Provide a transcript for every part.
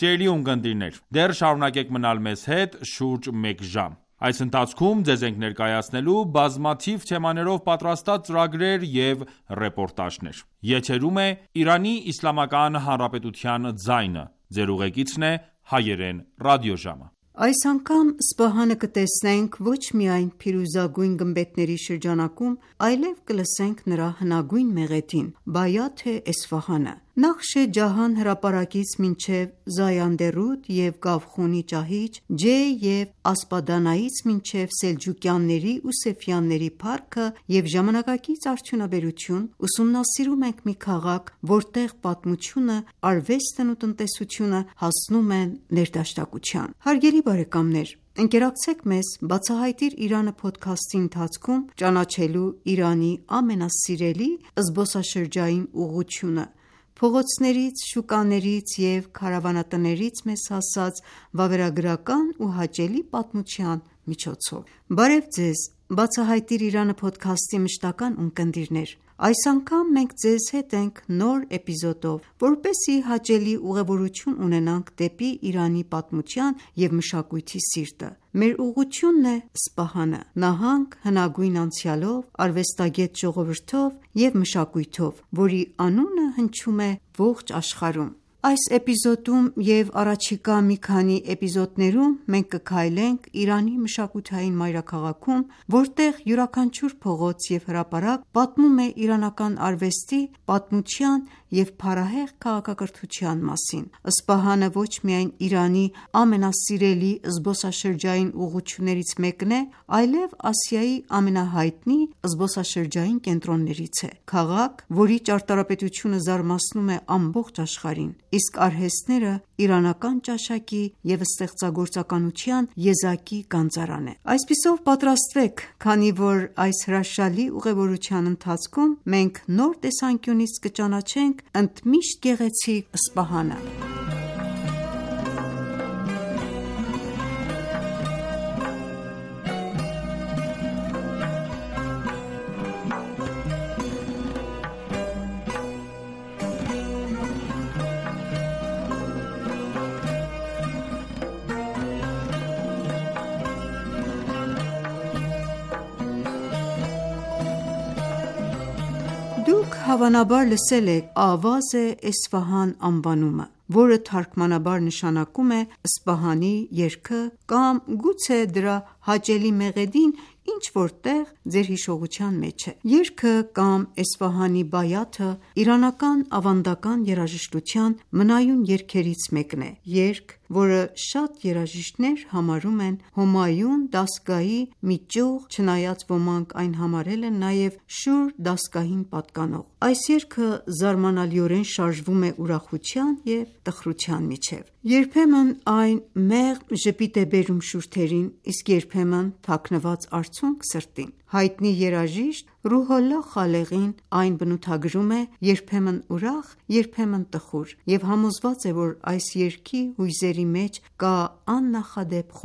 Սիրելի ունկնդիրներ, դեռ շարունակեք մնալ մեզ հետ շուրջ մեկ ժամ: Այս ընթացքում ձեզ ենք ներկայացնելու բազմաթիվ թեմաներով պատրաստած ծրագրեր և ռեպորտաժներ: Եթերում է Իրանի Իսլամական Հանրապետության ձայնը: Ձեր ուղեկիցն է Հայերեն ռադիոժամը: Այս անգամ Սպահանը կտեսնենք ոչ միայն փիրուզագույն գմբեթների շրջանակում, այլև կլսենք նրա հնագույն մեղեդին՝ Բայաթ Էսֆահանը: Նախշ Ջահան հրապարակից մինչև Զայանդերուդ և Գավխունի ճահիճ, Ջեյ և Ասպադանայից մինչև Սելջուկյանների ու Սեֆյանների փառքը և ժամանակակից արդյունաբերություն, ուսումնասիրում ենք մի քաղաք, որտեղ պատմությունը, արվեստն ու տնտեսությունը հասնում են ներդաշնակության: Հարգելի բարեկամներ, ընկերակցեք մեզ «Բացահայտիր Իրանը» փոդքասթի ընթացքում ճանաչելու Իրանի ամենասիրելի զբոսաշրջային ուղղությունը՝ փողոցներից, շուկաներից և քարավանատներից մեզ հասած վավերագրական ու հաճելի պատմության միջոցով: Բարև ձեզ «Բացահայտիր Իրանը» փոդքասթի մշտական ունկնդիրներ: Այս անգամ մենք ձեզ հետ ենք նոր էպիզոդով, որպեսզի հաճելի ուղևորություն ունենանք դեպի Իրանի պատմության և մշակույթի սիրտը: Մեր ուղղությունն է Սպահանը: Նահանգ հնագույն անցյալով, արվեստագետ ժողովրդով և մշակույթով, որի անունը հնչում է ողջ աշխարհում: Այս էպիզոդում և առաջիկա մի քանի էպիզոդներում մենք կքայլենք Իրանի մշակութային մայրաքաղաքում, որտեղ յուրաքանչյուր փողոց և հրապարակ պատմում է իրանական արվեստի, պատմության և փառահեղ քաղաքակրթության մասին: Սպահանը ոչ միայն Իրանի ամենասիրելի զբոսաշրջային ուղղություններից մեկն է, այլև Ասիայի ամենահայտնի զբոսաշրջային կենտրոններից է: Քաղաք, որի ճարտարապետությունը զարմացնում է ամբողջ աշխարհին, իսկ արհեստները իրանական ճաշակի և ստեղծագործականության եզակի գանձարան է: Այսպիսով պատրաստվեք, քանի որ այս հրաշալի ուղևորության ընթացքում մենք նոր տեսանկյունից կճանաչենք ընդմիշտ գեղեցիկ Սպահանը: Դուք հավանաբար լսել եք Ավազ Էսֆահան անվանումը, որը թարգմանաբար նշանակում է Սպահանի երգը կամ գուցե դրա հաճելի մեղեդին ինչ-որ տեղ ձեր հիշողության մեջ է: Երգը կամ Էսֆահանի Բայաթը իրանական ավանդական երաժշտության մնայուն երգերից մեկն է: Երգ, որը շատ երաժիշտներ համարում են Հոմայուն դաստգահի մի ճյուղ, չնայած ոմանք այն համարել են նաև Շուր դաստգահին պատկանող: Այս երգը զարմանալիորեն շարժվում է ուրախության և տխրության միջև: Երբեմն այն մեղմ ժպիտ է բերում շուրթերին, իսկ երբեմն թաքնված արցունք սրտին: Հայտնի երաժիշտ Ռուհոլլահ Խալեղին այն բնութագրում է երբեմն ուրախ, երբեմն տխուր և համոզված է, որ այս երգի հույզերի մեջ կա աննախադեպ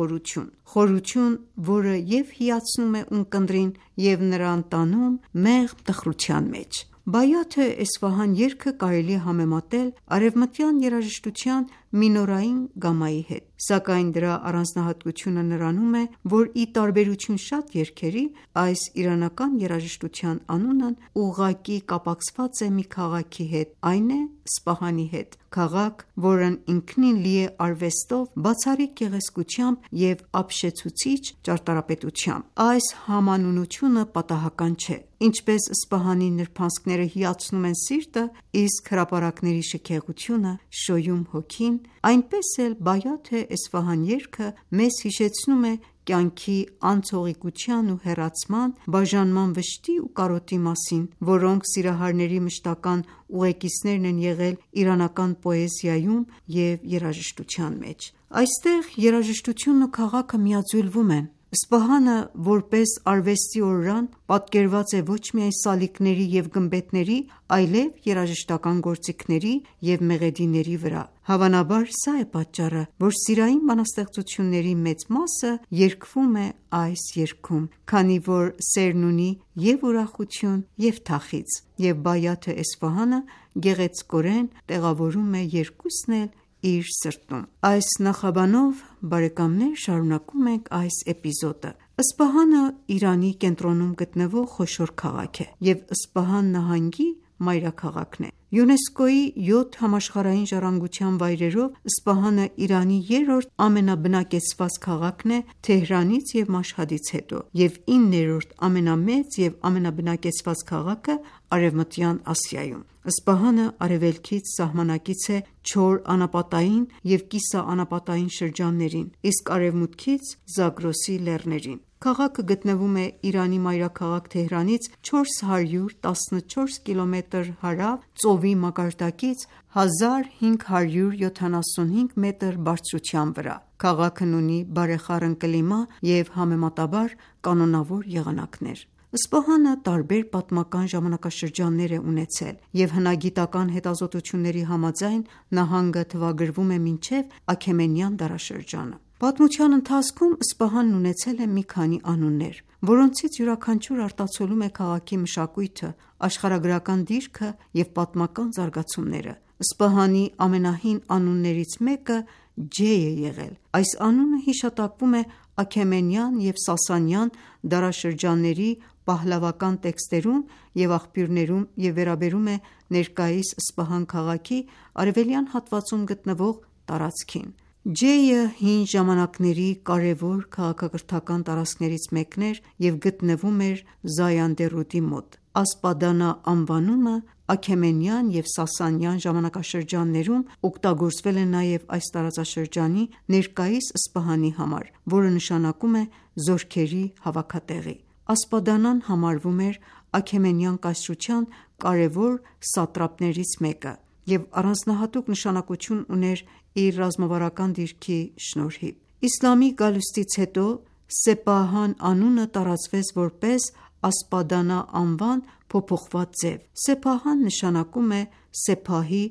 խորություն, որը և հիացնում է ունկնդրին և նրան տանում մեղմ տխրության մեջ: Բայաթ Էսֆահան երգը կարելի է համեմատել արևմտյան երաժշտության մինորային գամմայի հետ: Սակայն դրա առանձնահատկությունը նրանում է, որ ի տարբերություն շատ երգերի, այս իրանական երաժշտության անունն ուղղակի կապակցված է մի քաղաքի հետ, այն է Սպահանի հետ: Քաղաք, որն ինքնին լի է արվեստով, բացառիկ գեղեցկությամբ և ապշեցուցիչ ճարտարապետությամբ: Այս համանունությունը պատահական չէ: Ինչպես Սպահանի նրբանցքները հիացնում են սիրտը, իսկ հրապարակների շքեղությունը շոյում հոգին, այնպես էլ Բայաթ Էսֆահան երգը մեզ հիշեցնում է կյանքի անցողիկության ու հեռացման, բաժանման վշտի ու կարոտի մասին, որոնք սիրահարների մշտական ուղեկիցներն են եղել իրանական պոեզիայում և երաժշտության մեջ: Այստեղ երաժշտությունն ու քաղաքը միաձուլվում են: Սպահանը, որպես արվեստի օրրան, պատկերված է ոչ միայն սալիկների և գմբեթների, այլև երաժշտական գործիքների և մեղեդիների վրա: Հավանաբար սա է պատճառը, որ սիրային բանաստեղծությունների մեծ մասը երգվում է այս երգում, քանի որ սերն ունի և ուրախություն և թախիծ, և Բայաթ Էսֆահանը գեղեցկորեն տեղավորում է երկուսն էլ իր սրտում։ Այս նախաբանով շարունակում ենք այս էպիզոդը։ Սպահանը Իրանի կենտրոնում գտնվող խոշոր քաղաք է և Սպահան նահանգի մայրաքաղաքն է։ ՅՈՒՆԵՍԿՕ-ի 7 համաշխարհային ժառանգության վայրերով Սպահանը Իրանի երրորդ ամենաբնակեցված քաղաքն է Թեհրանից և Մաշհադից հետո և 9-րդ ամենամեծ և ամենաբնակեցված քաղաքը Արևմտյան Ասիայում։ Սպահանը արևելքից սահմանակից է Չոր անապատային և կիսաանապատային շրջաններին, իսկ արևմուտքից՝ Զագրոսի լեռներին։ Քաղաքը գտնվում է Իրանի մայրաքաղաք Թեհրանից 414 կիլոմետր հարավ ծովի մակարդակից 1575 մետր բարձրության վրա։ Քաղաքն ունի բարեխառն կլիմա և համեմատաբար կանոնավոր եղանակներ։ Սպահանը տարբեր պատմական ժամանակաշրջաններ է ունեցել, և հնագիտական հետազոտությունների համաձայն նահանգը թվագրվում է մինչև Աքեմենյան դարաշրջանը։ Պատմության ընթացքում Սպահանն ունեցել է մի քանի անուններ, որոնցից յուրաքանչյուրը արտացոլում է քաղաքի մշակույթը, աշխարհագրական դիրքը և պատմական զարգացումները։ Սպահանի ամենահին անուններից մեկը Ջե է եղել։ Այս անունը հիշատակվում է Աքեմենյան և Սասանյան դարաշրջանների պահլավական տեքստերում և աղբյուրներում և վերաբերում է ներկայիս Սպահան քաղաքի արևելյան հատվածում գտնվող տարածքին։ Ջեյը հին ժամանակների կարևոր քաղաքակրթական տարածքներից մեկն էր և գտնվում էր Զայանդե մոտ։ Ասպադանա անվանումը Աքեմենյան և Սասանյան ժամանակաշրջաններում օգտագործվել է նաև այս տարածաշրջանի ներկայիս Սպահանի համար, որը նշանակում է զորքերի հավաքատեղի։ Ասպադանան համարվում էր Աքեմենյան կայսրության կարևոր սատրապներից մեկը և առանձնահատուկ նշանակություն ուներ իր ռազմավարական դիրքի շնորհիվ։ Իսլամի գալուստից հետո Սեփահան անունը տարածվեց որպես Ասպադանա անվան փոփոխված ձև։ Սեփահան նշանակում է սեփահի,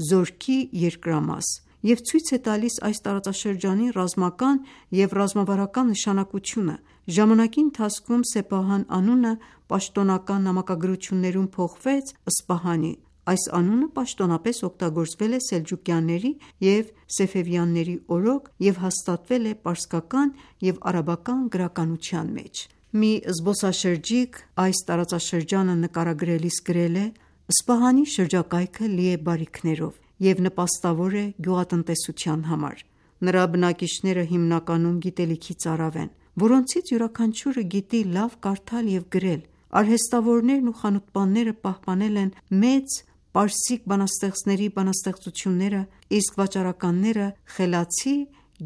զորքի երկրամաս և ցույց է տալիս այս տարածաշրջանի ռազմական և ռազմավարական նշանակությունը։ Ժամանակի ընթացքում Սեփահան անունը պաշտոնական նամակագրություններում փոխվեց Սպահանի։ Այս անունը պաշտոնապես օգտագործվել է սելջուկյանների և սեֆևյանների օրոք և հաստատվել է պարսկական և արաբական գրականության մեջ։ Մի զբոսաշրջիկ այս տարածաշրջանը նկարագրելիս գրել է. «Սպահանի շրջակայքը լի է բարիքներով և նպաստավոր է գյուղատնտեսության համար։ Նրա բնակիչները հիմնականում գիտելիքի ծարավ են, որոնցից յուրաքանչյուրը գիտի լավ կարդալ և գրել։ Արհեստավորներն ու խանութպանները պահպանել են մեծ պարսիկ բանաստեղծների բանաստեղծությունները, իսկ վաճառականները խելացի,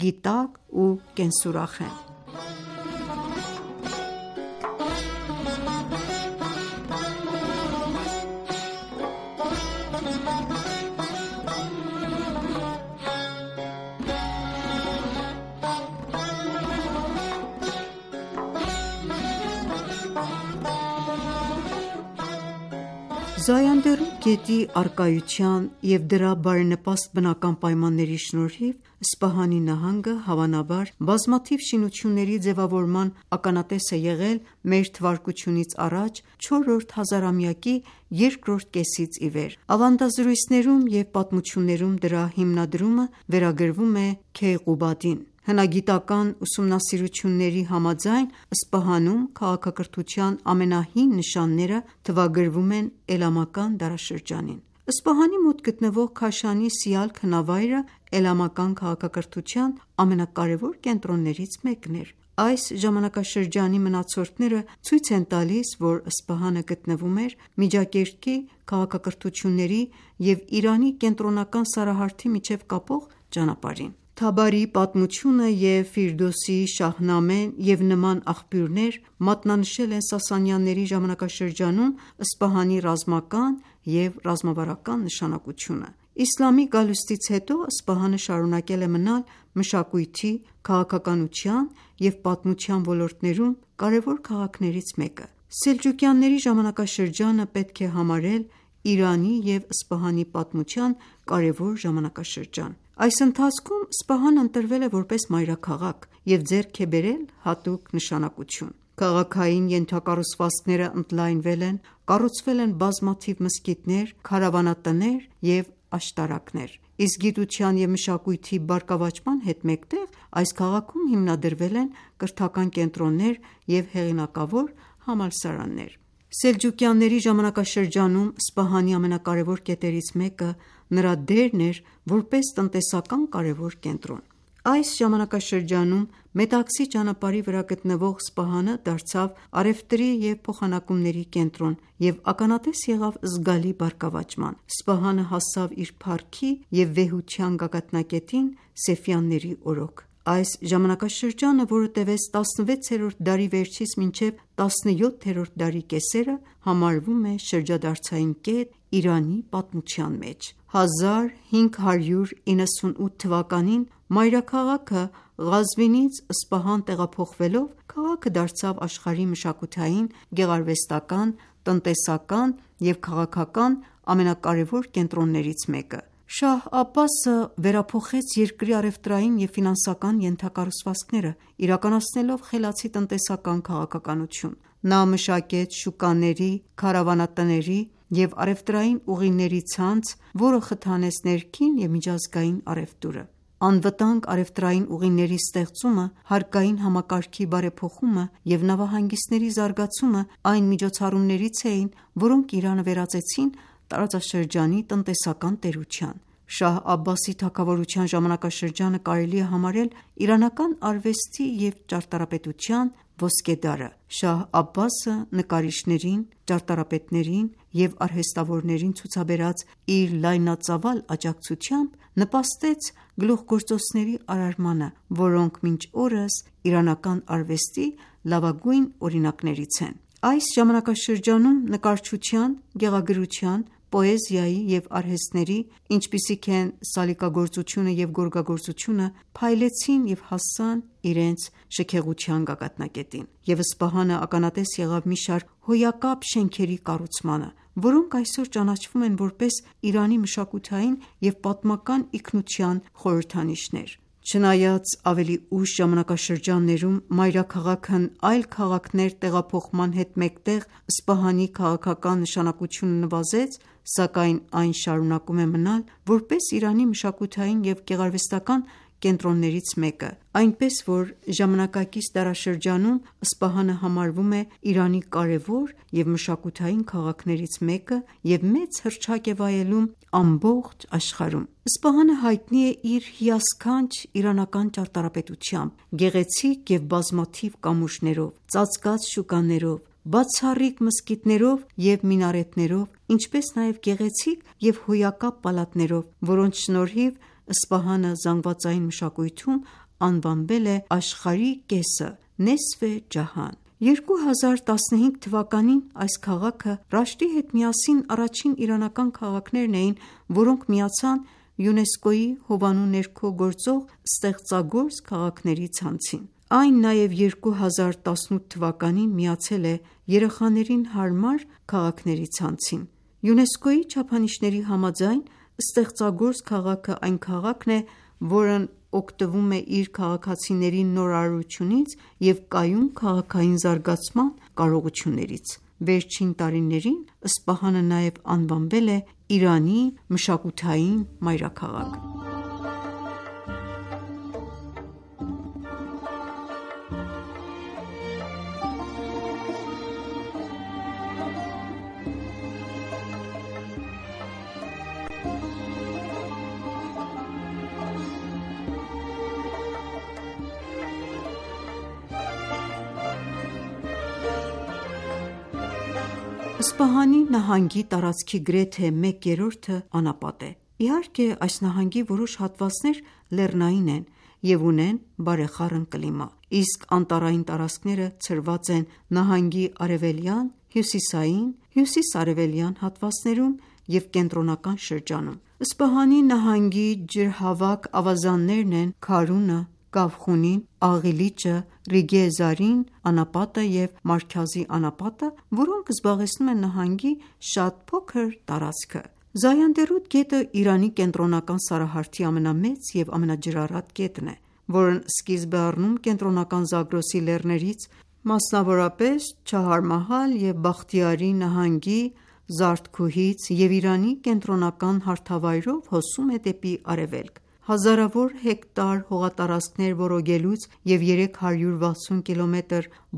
գիտակ ու կենսուրախ են»։ Զայանդե գետի առկայության և դրա բարենպաստ բնական պայմանների շնորհիվ Սպահանի նահանգը հավանաբար բազմաթիվ շինությունների ձևավորման ականատես է եղել մ.թ.ա. չորրորդ հազարամյակի երկրորդ կեսից ի վեր։ Ավանդազրույցներում և պատմություններում դրա հիմնադրումը վերագրվում է Քեյղուբադին։ Հնագիտական ուսումնասիրությունների համաձայն Սպահանում քաղաքակրթության ամենահին նշանները թվագրվում են Էլամական դարաշրջանին։ Սպահանի մոտ գտնվող Քաշանի Սիալք հնավայրը էլամական քաղաքակրթության ամենակարևոր կենտրոններից մեկն էր։ Այս ժամանակաշրջանի մնացորդները ցույց են տալիս, որ Սպահանը գտնվում էր Միջագետքի քաղաքակրթությունների և Իրանի կենտրոնական սարահարթի միջև կապող ճանապարհին։ Թաբարիի պատմությունը և Ֆիրդոսիի Շահնամեն և նման աղբյուրներ մատնանշել են Սասանյանների ժամանակաշրջանում Սպահանի ռազմական և ռազմավարական նշանակությունը։ Իսլամի գալուստից հետո Սպահանը շարունակել է մնալ մշակույթի, քաղաքականության և պատմության ոլորտներում կարևոր քաղաքներից մեկը։ Սելջուկյանների ժամանակաշրջանը պետք է համարել Իրանի և Սպահանի պատմության կարևոր ժամանակաշրջան։ Այս ընթացքում Սպահանն ընտրվել է որպես մայրաքաղաք և ձեռք է բերել հատուկ նշանակություն։ Քաղաքային ենթակառուցվածքները ընդլայնվել են, կառուցվել են բազմաթիվ մզկիթներ, քարավանատներ և աշտարակներ։ իսկ գիտության և մշակույթի բարգավաճման հետ մեկտեղ այս քաղաքում հիմնադրվել են կրթական կենտրոններ և հեղինակավոր համալսարաններ։ Սելջուկյանների ժամանակաշրջանում Սպահանի ամենակարևոր կետերից մեկը նրա դերն էր որպես տնտեսական կարևոր կենտրոն։ Այս ժամանակաշրջանում Մետաքսի ճանապարհի վրա գտնվող Սպահանը դարձավ առևտրի և փոխանակումների կենտրոն և ականատես եղավ զգալի բարգավաճման։ Սպահանը հասավ իր փառքի և վեհության գագաթնակետին Սեֆյանների օրոք։ Այս ժամանակաշրջանը, որը տևեց 16-րդ դարի վերջից մինչև 17-րդ դարի կեսերը, համարվում է շրջադարձային կետ Իրանի պատմության մեջ։ 1598 թվականին մայրաքաղաքը Ղազվինից Սպահան տեղափոխվելով, քաղաքը դարձավ աշխարհի մշակութային, գեղարվեստական, տնտեսական և քաղաքական ամենակարևոր կենտրոններից մեկը։ Շահ Աբբասը վերափոխեց երկրի առևտրային և ֆինանսական ենթակառուցվածքները, իրականացնելով խելացի տնտեսական քաղաքականություն։ Նա մշակեց շուկաների, քարավանատների և առևտրային ուղիների ցանց, որը խթանեց ներքին և միջազգային առևտուրը։ Անվտանգ առևտրային ուղիների ստեղծումը, հարկային համակարգի բարեփոխումը և նավահանգիստների զարգացումը այն միջոցառումներից էին, որոնք Իրանը վերածեցին տարածաշրջանի տնտեսական տերության։ Շահ Աբբասի թագավորության ժամանակաշրջանը կարելի է համարել իրանական արվեստի և ճարտարապետության ոսկեդարը։ Շահ Աբբասը նկարիչներին, ճարտարապետներին և արհեստավորներին ցուցաբերած իր լայնածավալ աջակցությամբ նպաստեց գլուխգործոցների արարմանը, որոնք մինչ օրս իրանական արվեստի լավագույն օրինակներից են։ Այս ժամանակաշրջանում նկարչության, գեղագրության, պոեզիայի և արհեստների, ինչպիսիք են սալիկագործությունը և գորգագործությունը, փայլեցին և հասան իրենց շքեղության գագաթնակետին, և Սպահանը ականատես եղավ մի շարք հոյակապ շենքերի կառուցմանը, որոնք այսօր ճանաչվում են որպես Իրանի մշակութային և պատմական ինքնության խորհրդանիշներ։ Չնայած ավելի ուշ ժամանակաշրջաններում մայրաքաղաքն այլ քաղաքներ տեղափոխման հետ մեկտեղ Սպահանի քաղաքական նշանակությունը նվազեց, սակայն այն շարունակում է մնալ որպես Իրանի մշակութային և գեղարվեստական կենտրոններից մեկը, այնպես որ ժամանակակից դարաշրջանում Սպահանը համարվում է Իրանի կարևոր և մշակութային քաղաքներից մեկը և մեծ հռչակ է վայելում ամբողջ աշխարհում։ Սպահանը հայտնի է իր հիասքանչ իրանական ճարտարապետությամբ, գեղեցիկ և բազմաթիվ կամուրջներով, ծածկած շուկաներով, բացառիկ մզկիթներով և մինարետներով, ինչպես նաև գեղեցիկ և հոյակապ պալատներով, որոնց շնորհիվ Սպահանը զանգվածային մշակույթում անվանվել է աշխարհի կեսը (Նեսֆե Ջահան)։ 2015 թվականին այս քաղաքը Ռաշտի հետ միասին առաջին իրանական քաղաքներն էին, որոնք միացան ՅՈՒՆԵՍԿՕ-ի հովանու ներքո գործող ստեղծագործ քաղաքների ցանցին։ Այն նաև 2018 թվականին միացել է երեխաներին հարմար քաղաքների ցանցին։ ՅՈՒՆԵՍԿՕ-ի չափանիշների համաձայն ստեղծագործ քաղաքը այն քաղաքն է, որն օգտվում է իր քաղաքացիների նորարարությունից և կայուն քաղաքային զարգացման կարողություններից։ Վերջին տարիներին Սպահանը նաև անվանվել է Իրանի մշակութային մայրաքաղաք։ Սպահանի նահանգի տարածքի գրեթե 1/3-ը անապատ է։ Իհարկե, այս նահանգի որոշ հատվածներ լեռնային են և ունեն բարեխառն կլիմա, իսկ անտառային տարածքները ցրված են նահանգի արևելյան, հյուսիսային, հյուսիս-արևելյան հատվածներում և կենտրոնական շրջանում։ Սպահանի նահանգի ջրհավաք ավազաններն են Քարունը, Կավխունին, Աղիլիճը, Ռիգե Զարին անապատը և Մարքազի անապատը, որոնք զբաղեցնում են նահանգի շատ փոքր տարածքը։ Զայանդերուտ գետը Իրանի կենտրոնական սարահարթի ամենամեծ և ամենաջրառատ գետն է, որն սկիզբ է առնում կենտրոնական Զագրոսի լեռներից, մասնավորապես Չահարմահալ և Բախտիարի նահանգի Զարդքուհից և Իրանի կենտրոնական հարթավայրով հոսում է դեպի արևելք։ Հազարավոր հեկտար հողատարածքներ ոռոգելուց և 360 կմ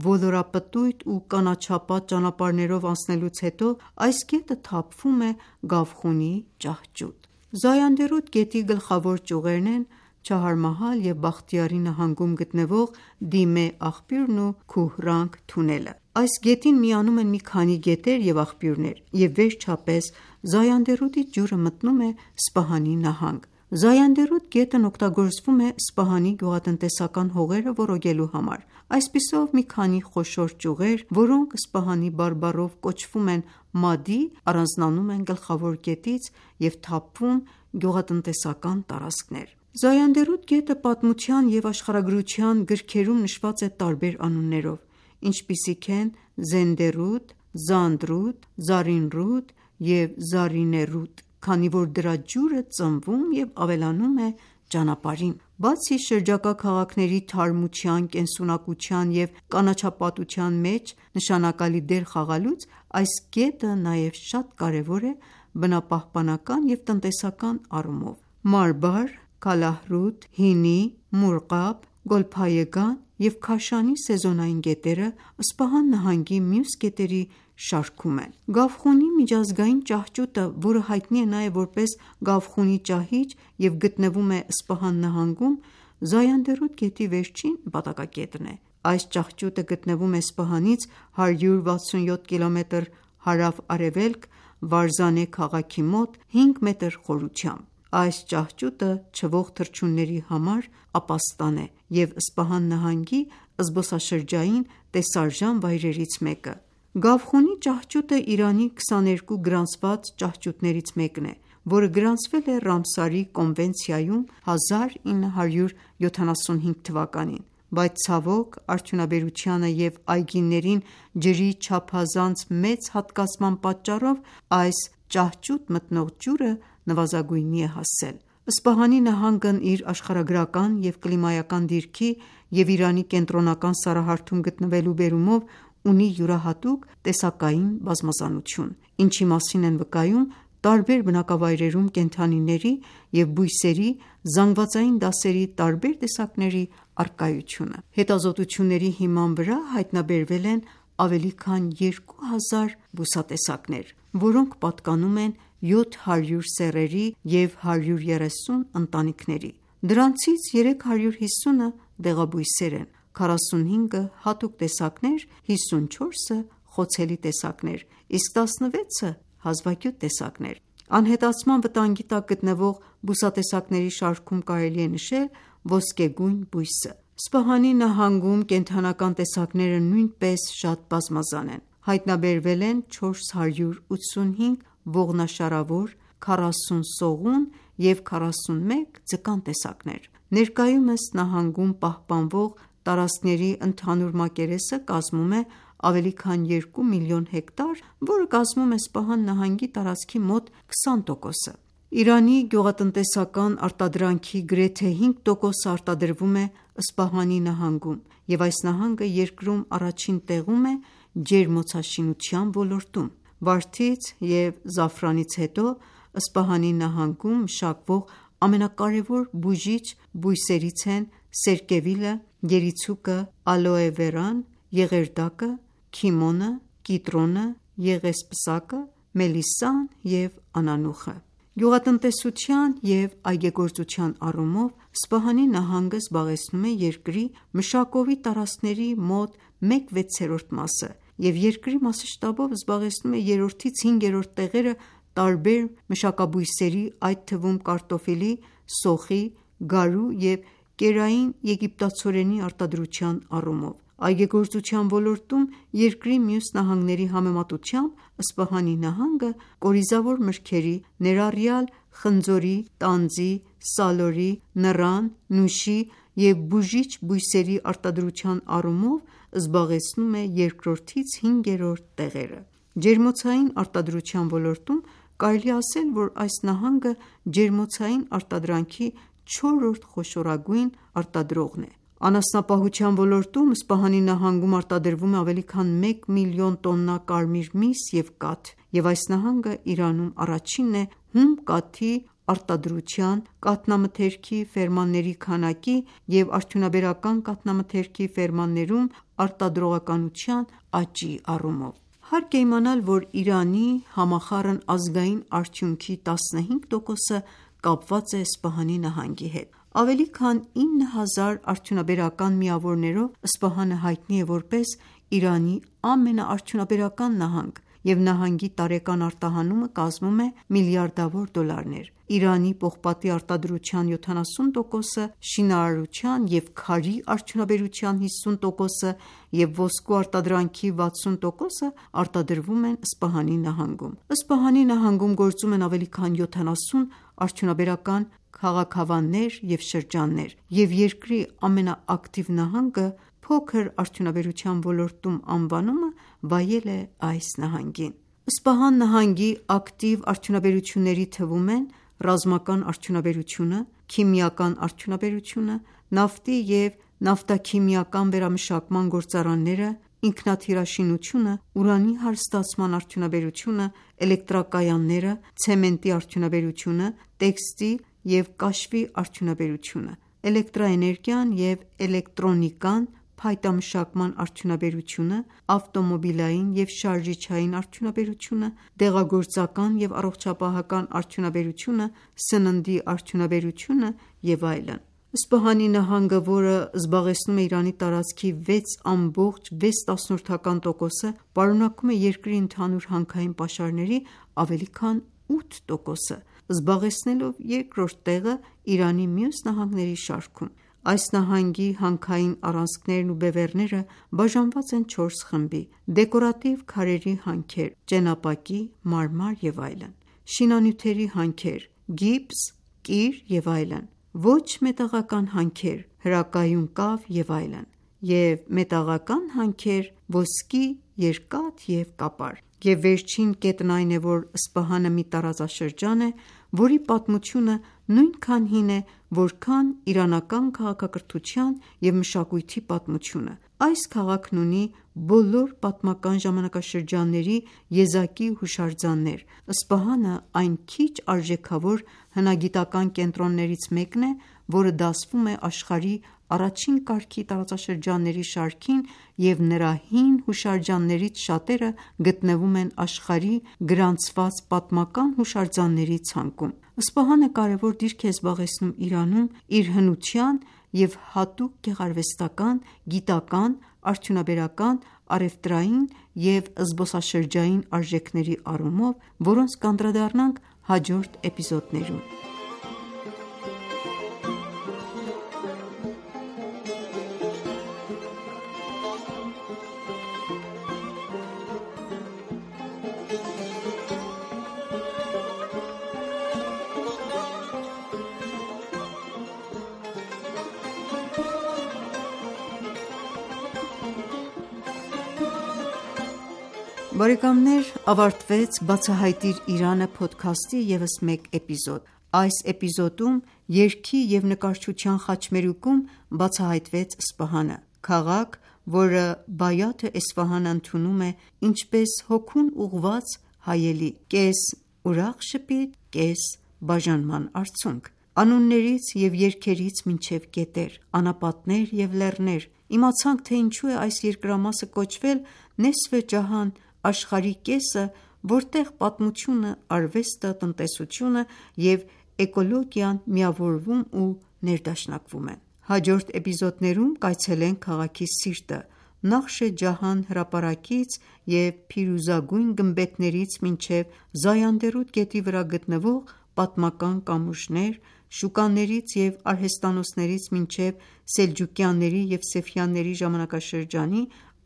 ոլորապտույտ ու կանաչապատ ճանապարհներով անցնելուց հետո այս գետը թափվում է Գավխունի ճահճուտ։ Զայանդերուտ գետի գլխավոր ճյուղերն են Չահարմահալ և Բախտիարի նահանգում գտնվող Դիմե աղբյուրն ու Քուհրանگ թունելը։ Այս գետին միանում են մի քանի գետեր և աղբյուրներ, և վերջապես Զայանդերուտի ջուրը մտնում է Սպահանի նահանգ։ Զայանդերուտ գետն օգտագործվում է Սպահանի գյուղատնտեսական հողերը ոռոգելու համար։ Այսպիսով մի քանի խոշոր ճյուղեր, որոնք Սպահանի բարբառով կոչվում են Մադի, առանձնանում են գլխավոր գետից և թափվում գյուղատնտեսական տարածքներ։ Զայանդերուտ գետը պատմության և աշխարհագրության գրքերում նշված է տարբեր անուններով, ինչպիսիք են Զենդերուտ, Զանդրուտ, Զարինռուտ և Զարինեռուտ, քանի որ դրա ջուրը ծնվում և ավելանում է ճանապարհին։ Բացի շրջակա քաղաքների թարմության, կենսունակության և կանաչապատության մեջ նշանակալի դեր խաղալուց, այս գետը նաև շատ կարևոր է բնապահպանական և տնտեսական առումով։ Մարբար, Քալահրուտ, Հինի, Մուրղաբ, Գոլփայեգան և Քաշանի սեզոնային գետերը Սպահան նահանգի մյուս գետերի շարքում են։ Գավխունի միջազգային ճահճուտը, որը հայտնի է նաև որպես Գավխունի ճահիճ և գտնվում է Սպահան նահանգում, Զայանդերուտ գետի վերջին նպատակակետն է։ Այս ճահճուտը գտնվում է Սպահանից 167 կմ հարավ-արևելք, Վարզանե քաղաքի մոտ 5 մետր խորությամբ։ Այս ճահճուտը չվող թռչունների համար ապաստան է և Սպահան նահանգի զբոսաշրջային տեսարժան վայրերից մեկը։ Գավխունի ճահճուտը Իրանի 22 գրանցված ճահճուտներից մեկն է, որը գրանցվել է Ռամսարի կոնվենցիայում 1975 թվականին, բայց ցավոք արդյունաբերությանը և այգիներին ջրի չափազանց մեծ հատկացման պատճառով այս ճահճուտ մտնող ջուրը նվազագույնի է հասել։ Սպահանի նահանգն իր աշխարհագրական և կլիմայական դիրքի և Իրանի կենտրոնական սառահարթում գտնվելու բերումով ունի յուրահատուկ տեսակային բազմազանություն, ինչի մասին են վկայում տարբեր բնակավայրերում կենդանիների և բույսերի զանգվածային դասերի տարբեր տեսակների առկայությունը։ Հետազոտությունների հիման վրա հայտնաբերվել են ավելի քան 2000 բուսատեսակներ, որոնք պատկանում են 700 սեռերի և 130 ընտանիքների։ Դրանցից 350-ը դեղաբույսեր են, 45-ը հատուկ տեսակներ, 54-ը խոցելի տեսակներ, իսկ 16-ը հազվագյուտ տեսակներ։ Անհետացման վտանգի տակ գտնվող բուսատեսակների շարքում կարելի է նշել ոսկեգույն բույսը։ Սպահանի նահանգում կենդանական տեսակները նույնպես շատ բազմազան են։ Հայտնաբերվել են 485 ողնաշարավոր, 40 սողուն և 41 ձկան տեսակներ։ Ներկայումս նահանգում պահպանվող տարածքների ընդհանուր մակերեսը կազմում է ավելի քան 2 միլիոն հեկտար, որը կազմում է Սպահան նահանգի տարածքի մոտ 20%-ը։ Իրանի գյուղատնտեսական արտադրանքի գրեթե 5%-ը արտադրվում է Սպահանի նահանգում, և այս նահանգը երկրում առաջին տեղում է ջերմոցաշինության ոլորտում։ Վարդից և զաֆրանից հետո Սպահանի նահանգում մշակվող ամենակարևոր բուժիչ բույսերից են սերկևիլը, երիցուկը, ալոե վերան, եղերդակը, քիմոնը, կիտրոնը, եղեսպսակը, մելիսան և անանուխը։ Գյուղատնտեսության և այգեգործության առումով Սպահանի նահանգը զբաղեցնում է երկրի մշակովի տարածքների մոտ 1/6 մասը և երկրի մասշտաբով զբաղեցնում է 3-ից 5-րդ տեղերը տարբեր մշակաբույսերի, այդ թվում կարտոֆիլի, սոխի, գարու և կերային եգիպտացորենի արտադրության առումով։ Այգեգործության ոլորտում երկրի մյուս նահանգների համեմատությամբ Սպահանի նահանգը կորիզավոր մրգերի, ներառյալ խնձորի, տանձի, սալորի, նռան, նուշի և բուժիչ բույսերի արտադրության առումով զբաղեցնում է 2-ից 5-րդ տեղերը։ Ջերմոցային արտադրության ոլորտում կարելի է ասել, որ այս նահանգը ջերմոցային արտադրանքի 4-րդ խոշորագույն արտադրողն է։ Անասնապահության ոլորտում Սպահանի նահանգում արտադրվում է ավելի քան 1 միլիոն տոննա կարմիր միս և կաթ, և այս նահանգը Իրանում առաջինն է հում կաթի արտադրության, կաթնամթերքի ֆերմաների քանակի և արդյունաբերական կաթնամթերքի ֆերմաներում արտադրողականության աճի առումով։ Հարկ է իմանալ, որ Իրանի համախառն ազգային արդյունքի 15%-ը կապված է Սպահանի նահանգի հետ։ Ավելի քան 9000 արդյունաբերական միավորներով Սպահանը հայտնի է որպես Իրանի ամենաարդյունաբերական նահանգ, և նահանգի տարեկան արտահանումը կազմում է միլիարդավոր դոլարներ։ Իրանի պողպատի արտադրության 70%-ը, շինարարության և քարի արդյունաբերության 50%-ը և ոսկու արտադրանքի 60%-ը արտադրվում են Սպահանի նահանգում։ Սպահանի նահանգում գործում են ավելի քան 70 արդյունաբերական քաղաքավաններ և շրջաններ, և երկրի ամենաակտիվ նահանգը «Փոքր արդյունաբերության ոլորտում» անվանումը վայել է այս նահանգին։ Սպահան նահանգի ակտիվ արդյունաբերությունների թվում են ռազմական արդյունաբերությունը, քիմիական արդյունաբերությունը, նավթի և նավթաքիմիական վերամշակման գործարանները, ինքնաթիռաշինությունը, ուրանի հարստացման արդյունաբերությունը, էլեկտրակայանները, ցեմենտի արդյունաբերությունը, տեքստիլ և կաշվի արդյունաբերությունը, էլեկտրաէներգիան և էլեկտրոնիկան, փայտամշակման արդյունաբերությունը, ավտոմոբիլային և շարժիչային արդյունաբերությունը, դեղագործական և առողջապահական արդյունաբերությունը, սննդի արդյունաբերությունը և այլն։ Սպահանի նահանգը, որը զբաղեցնում է Իրանի տարածքի 6.6%-ը, պարունակում է երկրի ընդհանուր հանքային պաշարների ավելի քան 8%-ը, զբաղեցնելով երկրորդ տեղը Իրանի մյուս նահանգների շարքում։ Այս նահանգի հանքային առանցքներն ու բևեռները բաժանված են 4 խմբի՝ դեկորատիվ քարերի հանքեր, ճենապակի, մարմար և այլն, շինանյութերի հանքեր, գիպս, կիր և այլն, ոչ մետաղական հանքեր, հրակայուն կավ և այլն, և մետաղական հանքեր՝ ոսկի, երկաթ և կապար։ Եվ վերջին կետն այն է, որ Սպահանը մի տարածաշրջան է, որի պատմությունը նույնքան հին է, որքան իրանական քաղաքակրթության և մշակույթի պատմությունը։ Այս քաղաքն ունի բոլոր պատմական ժամանակաշրջանների եզակի հուշարձաններ։ Սպահանը այն քիչ արժեքավոր հնագիտական կենտրոններից մեկն է, որը դասվում է աշխարհի առաջին կարգի տարածաշրջանների շարքին, և նրա հին հուշարձաններից շատերը գտնվում են աշխարհի գրանցված պատմական հուշարձանների ցանկում։ Սպահանը կարևոր դիրք է զբաղեցնում Իրանում իր հնության և հատուկ գեղարվեստական, գիտական, արդյունաբերական, առևտրային և զբոսաշրջային արժեքների առումով, որոնց կանդրադառնանք հաջորդ էպիզոդներում։ Բարեկամներ, ավարտվեց «Բացահայտիր Իրանը» փոդքասթի ևս մեկ էպիզոդ։ Այս էպիզոդում երգի և նկարչության խաչմերուկում բացահայտվեց Սպահանը, քաղաք, որը Բայաթ Էսֆահանը ընդունում է ինչպես հոգուն ուղղված հայելի՝ կես ուրախ շպիտ, կես բաժանման արցունք։ Անուններից և երգերից մինչև գետեր, անապատներ և լեռներ, իմացանք, թե ինչու է այս երկրամասը կոչվել Նեսֆե Ջահան, աշխարհի կեսը, որտեղ պատմությունը, արվեստը, տնտեսությունը և էկոլոգիան միավորվում ու ներդաշնակվում են։ Հաջորդ էպիզոդներում կայցելենք քաղաքի սիրտը՝ Նախշե Ջահան հրապարակից և փիրուզագույն գմբեթներից մինչև Զայանդերուտ գետի վրա գտնվող պատմական կամուրջներ, շուկաներից և արհեստանոցներից մինչև սելջուկյանների և Սեֆյանների ժամանակաշրջանի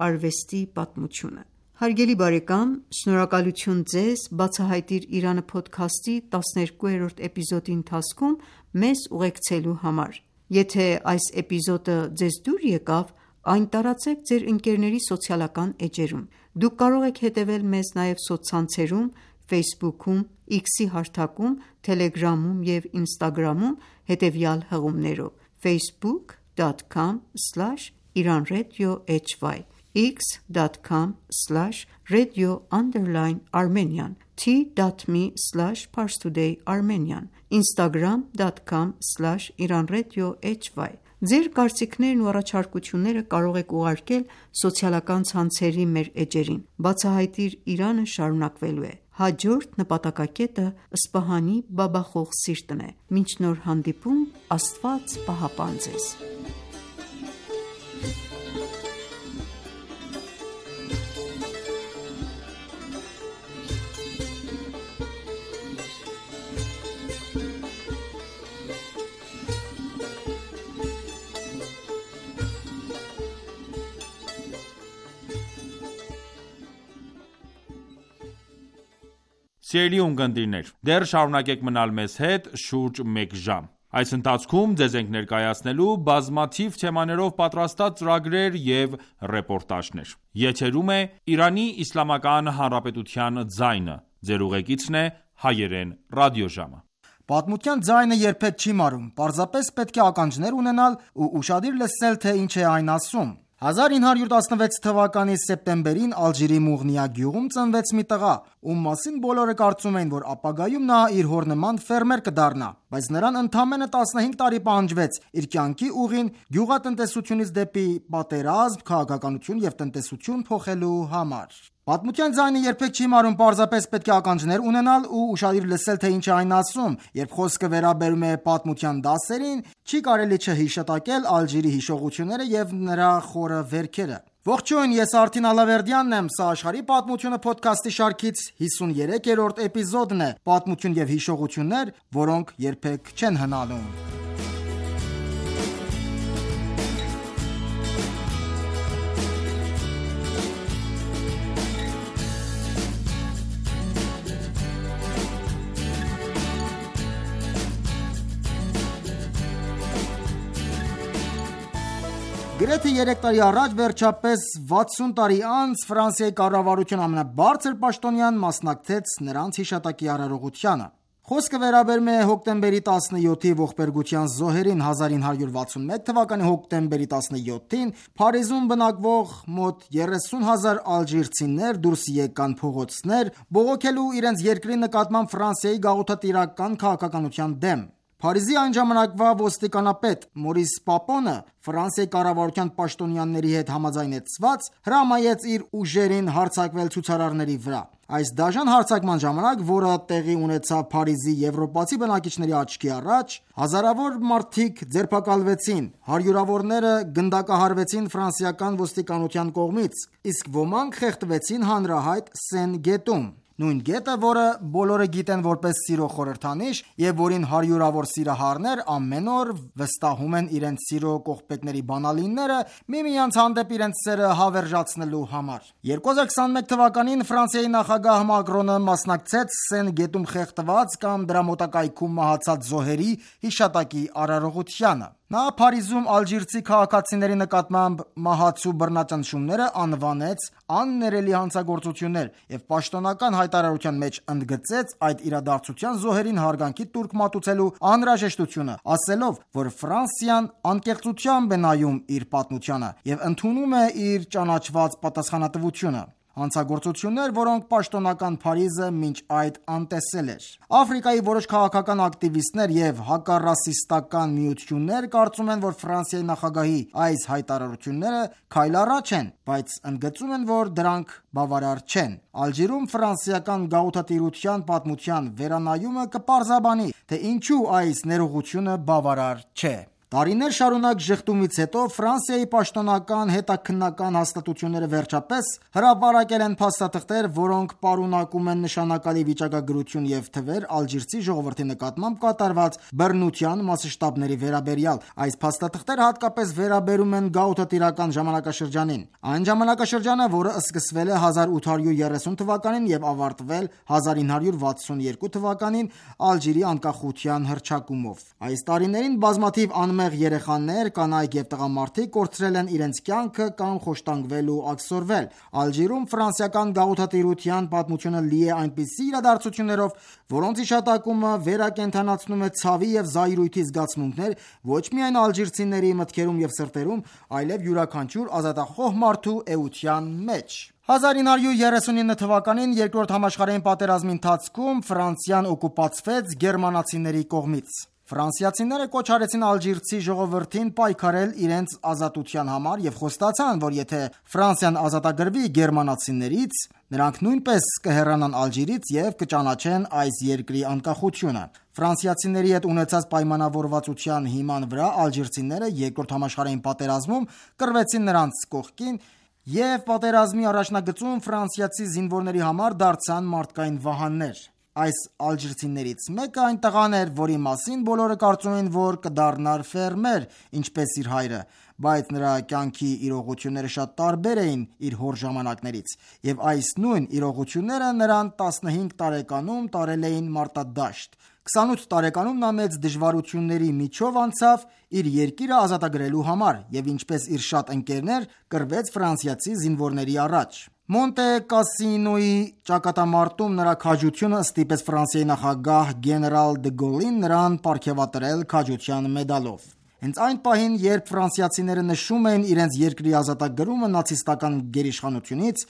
արվեստի պատմությունը։ Հարգելի բարեկամ, շնորհակալություն ձեզ «Բացահայտիր Իրանը» փոդքասթի 12-րդ էպիզոդի ընթացքում մեզ ուղեկցելու համար։ Եթե այս էպիզոդը ձեզ դուր եկավ, այն տարածեք ձեր ընկերների սոցիալական էջերում։ Դուք կարող եք հետևել մեզ նաև սոցցանցերում Ֆեյսբուքում, X-ի հարթակում, Թելեգրամում և Ինստագրամում հետևյալ հղումներով՝ Facebook x.com/iranradio.hy, x.com/radio_Armenian, t.me/parstoday_Armenian, instagram.com/iranradio.hy։ Ձեր կարծիքներն ու առաջարկությունները կարող եք ուղարկել սոցիալական ցանցերի մեր էջերին։ Բացահայտիր Իրանը շարունակվելու է։ Հաջորդ նպատակակետը Սպահանի բաբախող սիրտն է։ Մինչ նոր հանդիպում, Աստված պահապան ձեզ։ Սիրելի ունկնդիրներ, դեռ շարունակեք մնալ մեզ հետ շուրջ մեկ ժամ։ Այս ընթացքում ձեզ ենք ներկայացնելու բազմաթիվ թեմաներով պատրաստած ծրագրեր և ռեպորտաժներ։ Եթերում է Իրանի Իսլամական Հանրապետության ձայնը։ Ձեր ուղեկիցն է Հայերեն ռադիոժամը։ Պատմության ձայնը երբեք չի մարում, պարզապես պետք է ականջներ ունենալ ու ուշադիր լսել, թե ինչ է այն ասում։ 1916 թվականի սեպտեմբերին Ալժիրի Մուղնիա գյուղում ծնվեց մի տղա, ում մասին բոլորը կարծում էին, որ ապագայում նա իր հոր նման ֆերմեր կդառնա, բայց նրան ընդամենը 15 տարի պահանջվեց իր կյանքի ուղին գյուղատնտեսությունից դեպի պատերազմ, քաղաքականություն և տնտեսություն փոխելու համար։ Պատմության ձայնը երբեք չի մարում, պարզապես պետք է ականջներ ունենալ ու ուշադիր լսել, թե ինչ է այն ասում։ Երբ խոսքը վերաբերում է պատմության դասերին, չի կարելի չհիշատակել Ալժիրի հիշողությունները և նրա խորը վերքերը։ Ողջույն, ես Արթին Ալավերդյանն եմ, սա աշխարհի պատմությունը փոդքասթի շարքից 53-րդ էպիզոդն է, պատմություն և հիշողություններ, որոնք երբեք չեն հնանում։ Գրեթե 3 տարի առաջ, վերջապես 60 տարի անց, Ֆրանսիայի կառավարության ամենաբարձր պաշտոնյան մասնակցեց նրանց հիշատակի արարողությանը։ Խոսքը վերաբերում է հոկտեմբերի 17-ի ողբերգության զոհերին 1961 թվականի հոկտեմբերի 17-ին Փարիզում բնակվող մոտ 30,000 ալժիրցիներ դուրս եկան փողոցներ, բողոքելու իրենց երկրի նկատմամբ Ֆրանսիայի գաղութատիրական քաղաքականության դեմ։ Փարիզի այն ժամանակվա ոստիկանապետ Մորիս Պապոնը Ֆրանսիայի կառավարության պաշտոնյաների հետ համաձայնեցված հրամայեց իր ուժերին հարձակվել ցուցարարների վրա։ Այս դաժան հարձակման ժամանակ, որը տեղի ունեցավ Փարիզի եվրոպացի բնակիչների աչքի առաջ, հազարավոր մարդիկ ձերբակալվեցին, հարյուրավորները գնդակահարվեցին ֆրանսիական ոստիկանության կողմից, իսկ ոմանք խեղդվեցին հանրահայտ Սեն գետում։ Նույն գետը, որը բոլորը գիտեն որպես սիրո խորհրդանիշ և որին հարյուրավոր սիրահարներ ամեն օր վստահում են իրենց սիրո կողպեքների բանալինները միմյանց հանդեպ իրենց սերը հավերժացնելու համար։ 2021 թվականին Ֆրանսիայի նախագահ Մակրոնը մասնակցեց Սեն գետում խեղդված կամ դրա մոտակայքում մահացած զոհերի հիշատակի արարողությանը։ Նա Փարիզում ալժիրցի քաղաքացիների նկատմամբ մահացու բռնաճնշումները անվանեց աններելի հանցագործություններ և պաշտոնական հայտարարության մեջ ընդգծեց այդ իրադարձության զոհերին հարգանքի տուրք մատուցելու անհրաժեշտությունը, ասելով, որ Ֆրանսիան անկեղծությամբ է նայում իր պատմությանը և ընդունում է իր ճանաչված պատասխանատվությունը։ Հանցագործություններ, որոնք պաշտոնական Փարիզը մինչ այդ անտեսել էր։ Աֆրիկայի որոշ քաղաքական ակտիվիստներ և հակառասիստական միություններ կարծում են, որ Ֆրանսիայի նախագահի այս հայտարարությունները քայլ առաջ են, բայց ընդգծում են, որ դրանք բավարար չեն։ Ալժիրում ֆրանսիական գաղութատիրության պատմության վերանայումը կպարզաբանի, թե ինչու այս ներողությունը բավարար չէ։ Տարիներ շարունակ ժխտումից հետո Ֆրանսիայի պաշտոնական հետաքննական հաստատությունները վերջապես հրապարակել են փաստաթղթեր, որոնք պարունակում են նշանակալի վիճակագրություն և թվեր ալժիրցի ժողովրդի նկատմամբ կատարված բռնության մասշտաբների վերաբերյալ։ Այս փաստաթղթերը հատկապես վերաբերում են գաղութատիրական ժամանակաշրջանին։ Այն ժամանակաշրջանը, որը սկսվել է 1830 թվականին և ավարտվել 1962 թվականին Ալժիրի անկախության հռչակումով։ Այս տարիներին բազմաթիվ անմեղ անմեղ երեխաներ, կանայք եւ տղամարդիկ կորցրել են իրենց կյանքը կամ խոշտանգվել ու աքսորվել։ Ալժիրում ֆրանսիական գաղութատիրության պատմությունը լի է այնպիսի իրադարձություններով, որոնց հիշատակումը վերակենդանացնում է ցավի եւ զայրույթի զգացմունքներ ոչ միայն ալժիրցիների մտքերում եւ սրտերում, այլև յուրաքանչյուր ազատախոհ մարդու էության մեջ։ 1939 թվականին Երկրորդ համաշխարհային պատերազմի ընթացքում Ֆրանսիան օկուպացվեց գերմանացիների կողմից։ Ֆրանսիացիները կոչ արեցին ալժիրցի ժողովրդին պայքարել իրենց ազատության համար եւ խոստացան, որ եթե Ֆրանսիան ազատագրվի գերմանացիներից, նրանք նույնպես կհեռանան Ալժիրից եւ կճանաչեն այս երկրի անկախությունը։ Ֆրանսիացիների հետ ունեցած պայմանավորվածության հիման վրա ալժիրցիները Երկրորդ համաշխարհային պատերազմում կռվեցին նրանց կողքին եւ պատերազմի առաջնագծում ֆրանսիացի զինվորների համար դարձան մարդկային վահաններ։ Այս ալժիրցիներից մեկը այն տղան էր, որի մասին բոլորը կարծում էին, որ կդառնար ֆերմեր, ինչպես իր հայրը, բայց նրա կյանքի իրողությունները շատ տարբեր էին իր հոր ժամանակներից, եւ այս նույն իրողությունները նրան 15 տարեկանում տարել էին մարտադաշտ։ 28 տարեկանում նա մեծ դժվարությունների միջով անցավ իր երկիրը ազատագրելու համար եւ ինչպես իր շատ ընկերներ կռվեց ֆրանսիացի զինվորների առաջ։ Մոնտե Կասինոյի ճակատամարտում նրա քաջությունը ստիպեց Ֆրանսիայի նախագահ գեներալ դե Գոլին նրան պարգևատրել քաջության մեդալով։ Հենց այն պահին, երբ ֆրանսիացիները նշում էին իրենց երկրի ազատագրումը նացիստական գերիշխանությունից,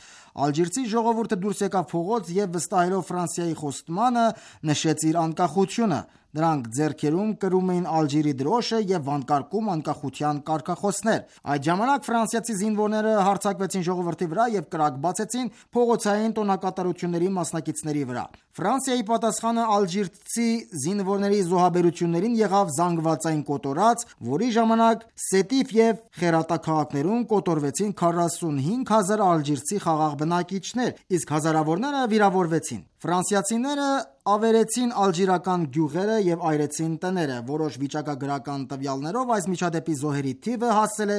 ալժիրցի ժողովուրդը դուրս եկավ փողոց եւ վստահելով Ֆրանսիայի խոստմանը նշեց իր անկախությունը։ Նրանք ձեռքերում կրում էին Ալժիրի դրոշը եւ վանկարկում անկախության կարգախոսներ։ Այդ ժամանակ ֆրանսիացի զինվորները հարձակվեցին ժողովրդի վրա եւ կրակ բացեցին փողոցային տոնակատարությունների մասնակիցների վրա։ Ֆրանսիայի պատասխանը ալժիրցի զինվորների զոհաբերություններին եղավ զանգվածային կոտորած, որի ժամանակ Սետիֆ եւ Խերատա քաղաքներում կոտորվեցին 45,000 ալժիրցի խաղաղ բնակիչներ, իսկ հազարավորները վիրավորվեցին։ Ֆրանսիացիները ավերեցին ալժիրական գյուղերը եւ այրեցին տները։ Որոշ վիճակագրական տվյալներով այս միջադեպի զոհերի թիվը հասել է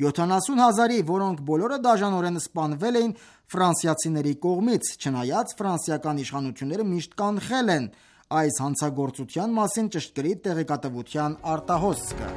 70,000-ի, որոնք բոլորը դաժանորեն սպանվել էին ֆրանսիացիների կողմից, չնայած ֆրանսիական իշխանությունները միշտ կանխել են այս հանցագործության մասին ճշգրիտ տեղեկատվության արտահոսքը։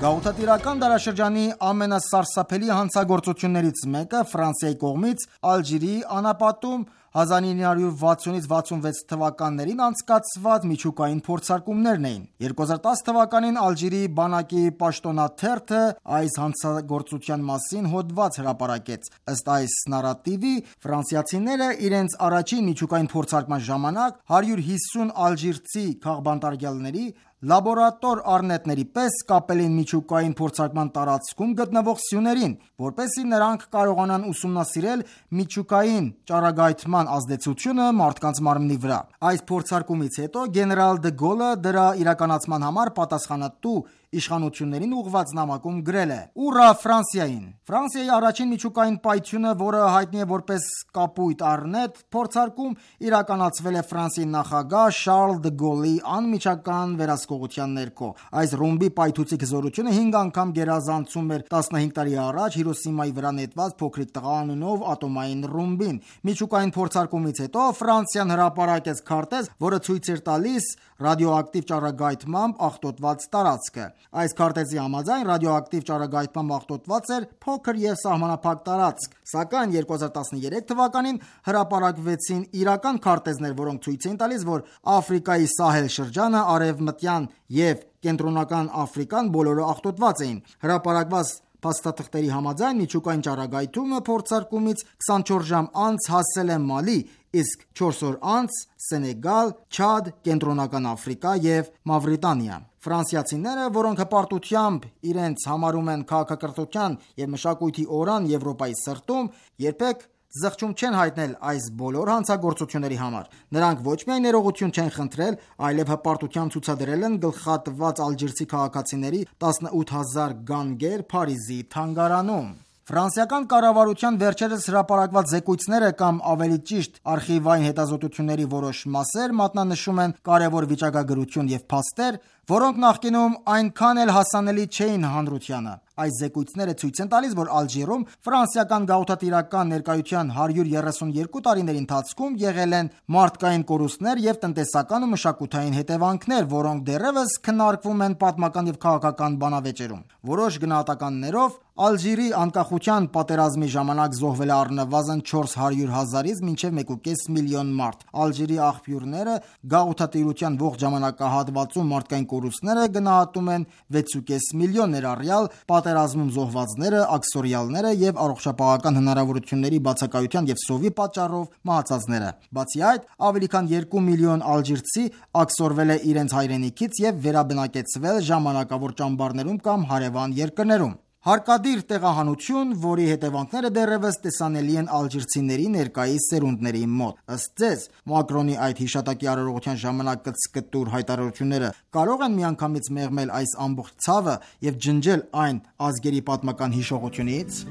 Գաղութատիրական դարաշրջանի ամենասարսափելի հանցագործություններից մեկը Ֆրանսիայի կողմից Ալժիրի անապատում 1960-66 թվականներին անցկացված միջուկային փորձարկումներն էին։ 2010 թվականին Ալժիրի բանակի պաշտոնաթերթը այս հանցագործության մասին հոդված հրապարակեց։ Ըստ այս նարատիվի, ֆրանսիացիները իրենց առաջին միջուկային փորձարկման ժամանակ 150 ալժիրցի քաղբանտարկյալների լաբորատոր առնետների պես կապել են միջուկային փորձարկման տարածքում գտնվող սյուներին, որպեսզի նրանք կարողանան ուսումնասիրել միջուկային ճառագայթման ազդեցությունը մարդկանց մարմնի վրա։ Այս փորձարկումից հետո գեներալ դե Գոլը դրա իրականացման համար պատասխանատու իշխանություններին ուղղված նամակում գրել է. «Ուռա Ֆրանսիային»։ Ֆրանսիայի առաջին միջուկային պայթյունը, որը հայտնի է որպես կապույտ առնետ փորձարկում, իրականացվել է Ֆրանսիայի նախագահ Շարլ դե Գոլի անմիջական վերահսկողության ներքո։ Այս ռումբի պայթուցիկ հզորությունը 5 անգամ գերազանցում էր 15 տարի առաջ Հիրոսիմայի վրա նետված փոքրիկ տղա անունով ատոմային ռումբին։ Միջուկային փորձարկումից հետո Ֆրանսիան հրապարակեց քարտեզ, որը ցույց էր տալիս ռադիոակտիվ ճառագայթմամբ աղտոտված տարածքը։ Այս քարտեզի համաձայն ռադիոակտիվ ճառագայթմամբ աղտոտված էր փոքր եւ սահմանափակ տարածք, սակայն 2013 թվականին հրապարակվեցին իրական քարտեզներ, որոնք ցույց էին տալիս, որ Աֆրիկայի Սահել շրջանը, Արևմտյան եւ Կենտրոնական Աֆրիկան բոլորը աղտոտված էին։ Հրապարակված փաստաթղթերի համաձայն միջուկային ճառագայթումը փորձարկումից 24 ժամ անց հասել է Մալի, իսկ 4 օր անց Սենեգալ, Չադ, Կենտրոնական Աֆրիկա եւ Մավրիտանիա։ Ֆրանսիացիները, որոնք հպարտությամբ իրենց համարում են քաղաքակրթության եւ մշակույթի օրան Եվրոպայի սրտում, երբեք զղջում չեն հայտնել այս բոլոր հանցագործությունների համար։ Նրանք ոչ միայն ներողություն չեն խնդրել, այլև հպարտությամբ ցուցադրել են գլխատված ալժիրցի քաղաքացիների 18000 գանգեր Փարիզի թանգարանում։ Ֆրանսիական կառավարության վերջերս հրապարակված զեկույցները կամ ավելի ճիշտ արխիվային հետազոտությունների որոշ մասեր մատնանշում են կարևոր վիճակագրություն եւ փաստեր, որոնք նախկինում այնքան էլ հասանելի չէին հանրությանը։ Այս զեկույցները ցույց են տալիս, որ Ալժիրում ֆրանսիական գաղութատիրական ներկայության 132 տարիների ընթացքում եղել են մարդկային կորուստներ եւ տնտեսական ու մշակութային հետևանքներ, որոնք դեռևս քննարկվում են պատմական եւ քաղաքական բանավեճերում։ Որոշ գնահատականներով Ալժիրի անկախության պատերազմի ժամանակ զոհվել է առնվազն 400,000-ից մինչև 1.5 միլիոն մարդ։ Ալժիրի աղբյուրները գաղութատիրության ողջ ժամանակահատվածում մարդկային կորուստները գնահատում են 6.5 միլիոն, ներառյալ պատերազմում զոհվածները, աքսորիալները եւ առողջապահական հնարավորությունների բացակայության եւ սովի պատճառով մահացածները։ Բացի այդ, ավելի քան 2 միլիոն ալժիրցի աքսորվել է իրենց հայրենիքից եւ վերաբնակեցվել ժամանակավոր ճամբարներում կամ հարևան երկրներում։ Հարկադիր տեղահանություն, որի հետևանքները դեռևս տեսանելի են ալժիրցիների ներկայիս սերունդների մոտ։ Ըստ ձեզ, Մակրոնի այդ հիշատակի արարողության ժամանակ կծկտուր հայտարարությունները կարող են միանգամից մեղմել այս ամբողջ ցավը եւ ջնջել այն ազգերի պատմական հիշողությունից։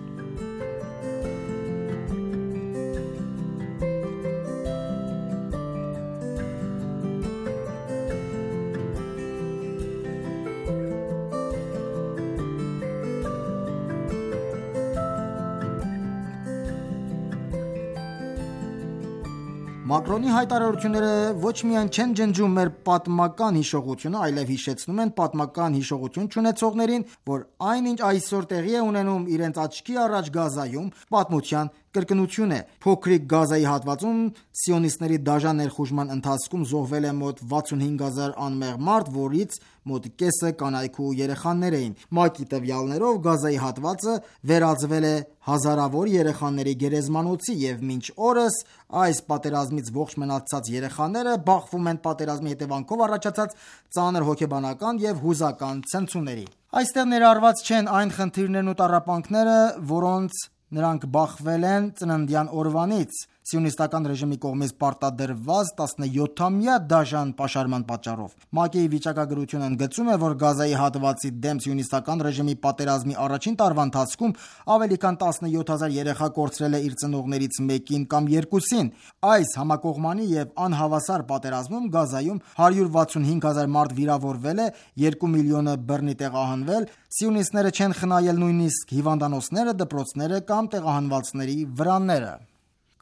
Մակրոնի հայտարարությունները ոչ միայն չեն ջնջում մեր պատմական հիշողությունը, այլև հիշեցնում են պատմական հիշողություն չունեցողներին, որ այնինչ այսօր տեղի է ունենում իրենց աչքի առաջ Գազայում, պատմության կրկնություն է։ Փոքրիկ Գազայի հատվածում սիոնիստների դաժան ներխուժման ընթացքում զոհվել է մոտ 65,000 անմեղ մարդ, որից մոտ կեսը կանայք ու երեխաներ էին։ ՄԱԿ-ի տվյալներով Գազայի հատվածը վերածվել է հազարավոր երեխաների գերեզմանոցի եւ մինչ օրս այս պատերազմից ողջ մնացած երեխաները բախվում են պատերազմի հետևանքով առաջացած ծանր հոգեբանական եւ հուզական ցնցումների։ Այստեղ ներառված չեն այն խնդիրներն ու տառապանքները, որոնց նրանք բախվել են ծննդյան օրվանից սիոնիստական ռեժիմի կողմից պարտադրված 17-ամյա դաժան պաշարման պատճառով։ ՄԱԿ-ի վիճակագրությունը ընդգծում է, որ Գազայի հատվածի դեմ սիոնիստական ռեժիմի պատերազմի առաջին տարվա ընթացքում ավելի քան 17,000 երեխա կորցրել է իր ծնողներից մեկին կամ երկուսին։ Այս համակողմանի եւ անհավասար պատերազմում Գազայում 165,000 մարդ վիրավորվել է, 2 միլիոնը բռնի տեղահանվել, սիոնիստները չեն խնայել նույնիսկ հիվանդանոցները, դպրոցները կամ տեղահանվածների վրանները։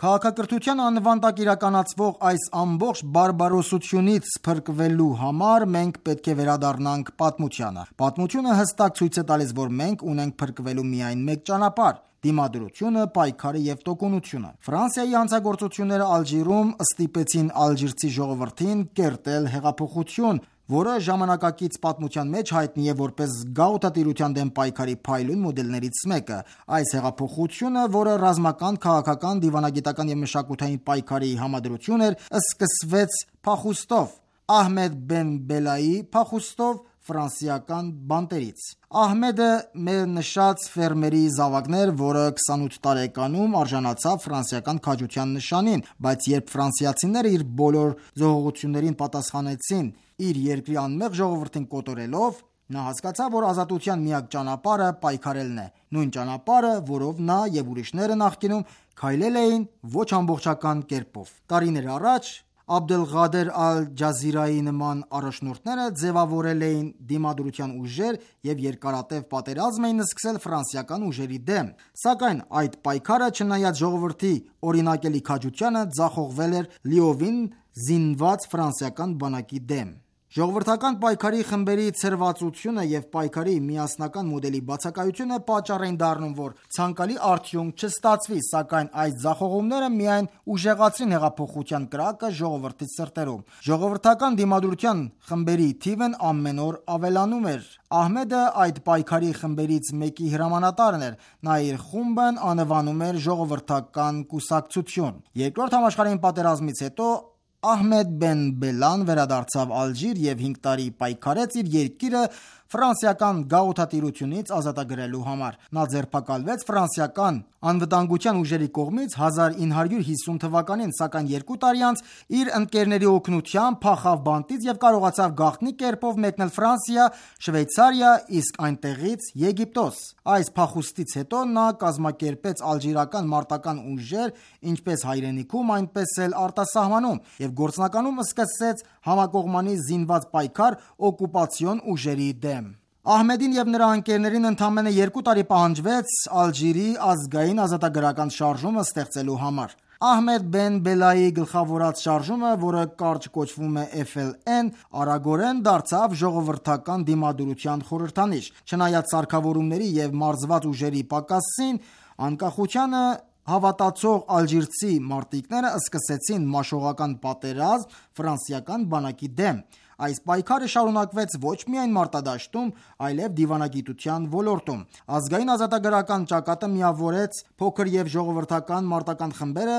Քաղաքակրթության անվան տակ իրականացվող այս ամբողջ բարբարոսությունից փրկվելու համար մենք պետք է վերադառնանք պատմությանը։ Պատմությունը հստակ ցույց է տալիս, որ մենք ունենք փրկվելու միայն մեկ ճանապարհ՝ դիմադրությունը, պայքարը եւ տոկունությունը։ Ֆրանսիայի հանցագործությունները Ալժիրում ստիպեցին ալժիրցի ժողովրդին կերտել հեղափոխություն, որը ժամանակակից պատմության մեջ հայտնի է որպես գաղութատիրության դեմ պայքարի փայլուն մոդելներից մեկը։ Այս հեղափոխությունը, որը ռազմական, քաղաքական, դիվանագիտական եւ մշակութային պայքարի համադրություն էր, սկսվեց փախուստով, Ահմեդ բեն Բելայի փախուստով ֆրանսիական բանտերից։ Ահմեդը մեր նշած ֆերմերի զավակներ, որը 28 տարեկանում արժանացավ ֆրանսիական քաջության նշանին, բայց երբ ֆրանսիացիները իր բոլոր զոհողություններին պատասխանեցին իր երկրի անմեղ ժողովրդին կոտորելով, նա հասկացավ, որ ազատության միակ ճանապարհը պայքարելն է, նույն ճանապարհը, որով նա եւ ուրիշները նախկինում քայլել էին ոչ ամբողջական կերպով։ Տարիներ առաջ Աբդելղադեր Ալ-Ջազիրայի նման առաջնորդները ձևավորել էին դիմադրության ուժեր եւ երկարատև պատերազմ էին սկսել ֆրանսիական ուժերի դեմ, սակայն այդ պայքարը չնայած ժողովրդի օրինակելի քաջությանը ձախողվել էր լիովին զինված ֆրանսիական բանակի դեմ։ Ժողովրդական պայքարի խմբերի ցրվածությունը եւ պայքարի միասնական մոդելի բացակայությունը պատճառ էին դառնում, որ ցանկալի արդյունք չստացվի, սակայն այս ձախողումները միայն ուժեղացրին հեղափոխության կրակը ժողովրդի սրտերում։ Ժողովրդական դիմադրության խմբերի թիվն ամեն օր ավելանում էր։ Ահմեդը այդ պայքարի խմբերից մեկի հրամանատարն էր։ Նա իր խումբն անվանում էր Ժողովրդական կուսակցություն։ Երկրորդ համաշխարհային պատերազմից հետո Ահմեդ բեն Բելան վերադարձավ Ալժիր եւ 5 տարի պայքարեց իր երկիրը ֆրանսիական գաղութատիրությունից ազատագրելու համար։ Նա ձերբակալվեց ֆրանսիական անվտանգության ուժերի կողմից 1950 թվականին, սակայն 2 տարի անց իր ընկերների օգնությամբ փախավ բանտից եւ կարողացավ գաղտնի կերպով մեկնել Ֆրանսիա, Շվեյցարիա, իսկ այնտեղից Եգիպտոս։ Այս փախուստից հետո նա կազմակերպեց ալժիրական մարտական ուժեր ինչպես հայրենիքում, այնպես էլ արտասահմանում եւ գործնականում սկսեց համակողմանի զինված պայքար օկուպացիոն ուժերի դեմ։ Ահմեդին եւ նրա ընկերներին ընդամենը 2 տարի պահանջվեց Ալժիրի ազգային ազատագրական շարժումը ստեղծելու համար։ Ահմեդ Բեն Բելայի գլխավորած շարժումը, որը կարճ կոչվում է FLN, արագորեն դարձավ ժողովրդական դիմադրության խորհրդանիշ։ Չնայած սարքավորումների եւ մարզված ուժերի պակասին, անկախությանը հավատացող ալժիրցի մարտիկները սկսեցին մաշողական պատերազմ ֆրանսիական բանակի դեմ։ Այս պայքարը շարունակվեց ոչ միայն մարտադաշտում, այլև դիվանագիտության ոլորտում։ Ազգային ազատագրական ճակատը միավորեց փոքր եւ ժողովրդական մարտական խմբերը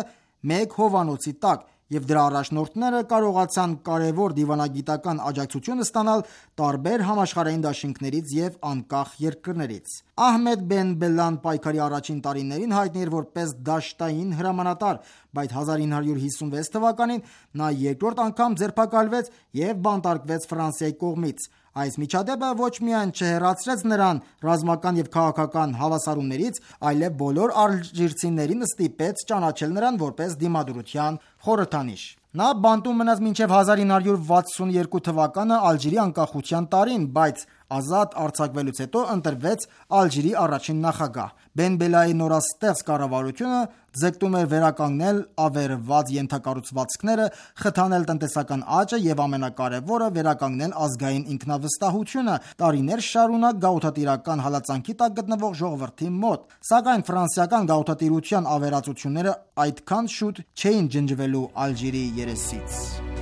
մեկ հովանոցի տակ, եւ դրա առաջնորդները կարողացան կարևոր դիվանագիտական աջակցություն ստանալ տարբեր համաշխարհային դաշինքներից եւ անկախ երկրներից։ Ահմեդ Բեն Բելան պայքարի առաջին տարիներին հայտնի էր որպես դաշտային հրամանատար, բայց 1956 թվականին նա երկրորդ անգամ ձերբակալվեց եւ բանտարկվեց Ֆրանսիայի կողմից։ Այս միջադեպը ոչ միայն չհեռացրեց նրան ռազմական եւ քաղաքական հավասարումներից, այլև բոլոր ալժիրցիներին ստիպեց ճանաչել նրան որպես դիմադրության խորհրդանիշ։ Նա բանտում մնաց մինչև 1962 թվականը Ալժիրի անկախության տարին, բայց ազատ արձակվելուց հետո ընտրվեց Ալժիրի առաջին նախագահ։ Բեն Բելայի նորաստեղծ կառավարությունը ձգտում էր վերականգնել ավերված ենթակառուցվածքները, խթանել տնտեսական աճը եւ ամենակարևորը վերականգնել ազգային ինքնավստահությունը տարիներ շարունակ գաղութատիրական հալածանքի տակ գտնվող ժողովրդի մոտ։ Սակայն ֆրանսիական գաղութատիրության ավերածությունները այդքան շուտ չէին ջնջվելու Ալժիրի երեսից։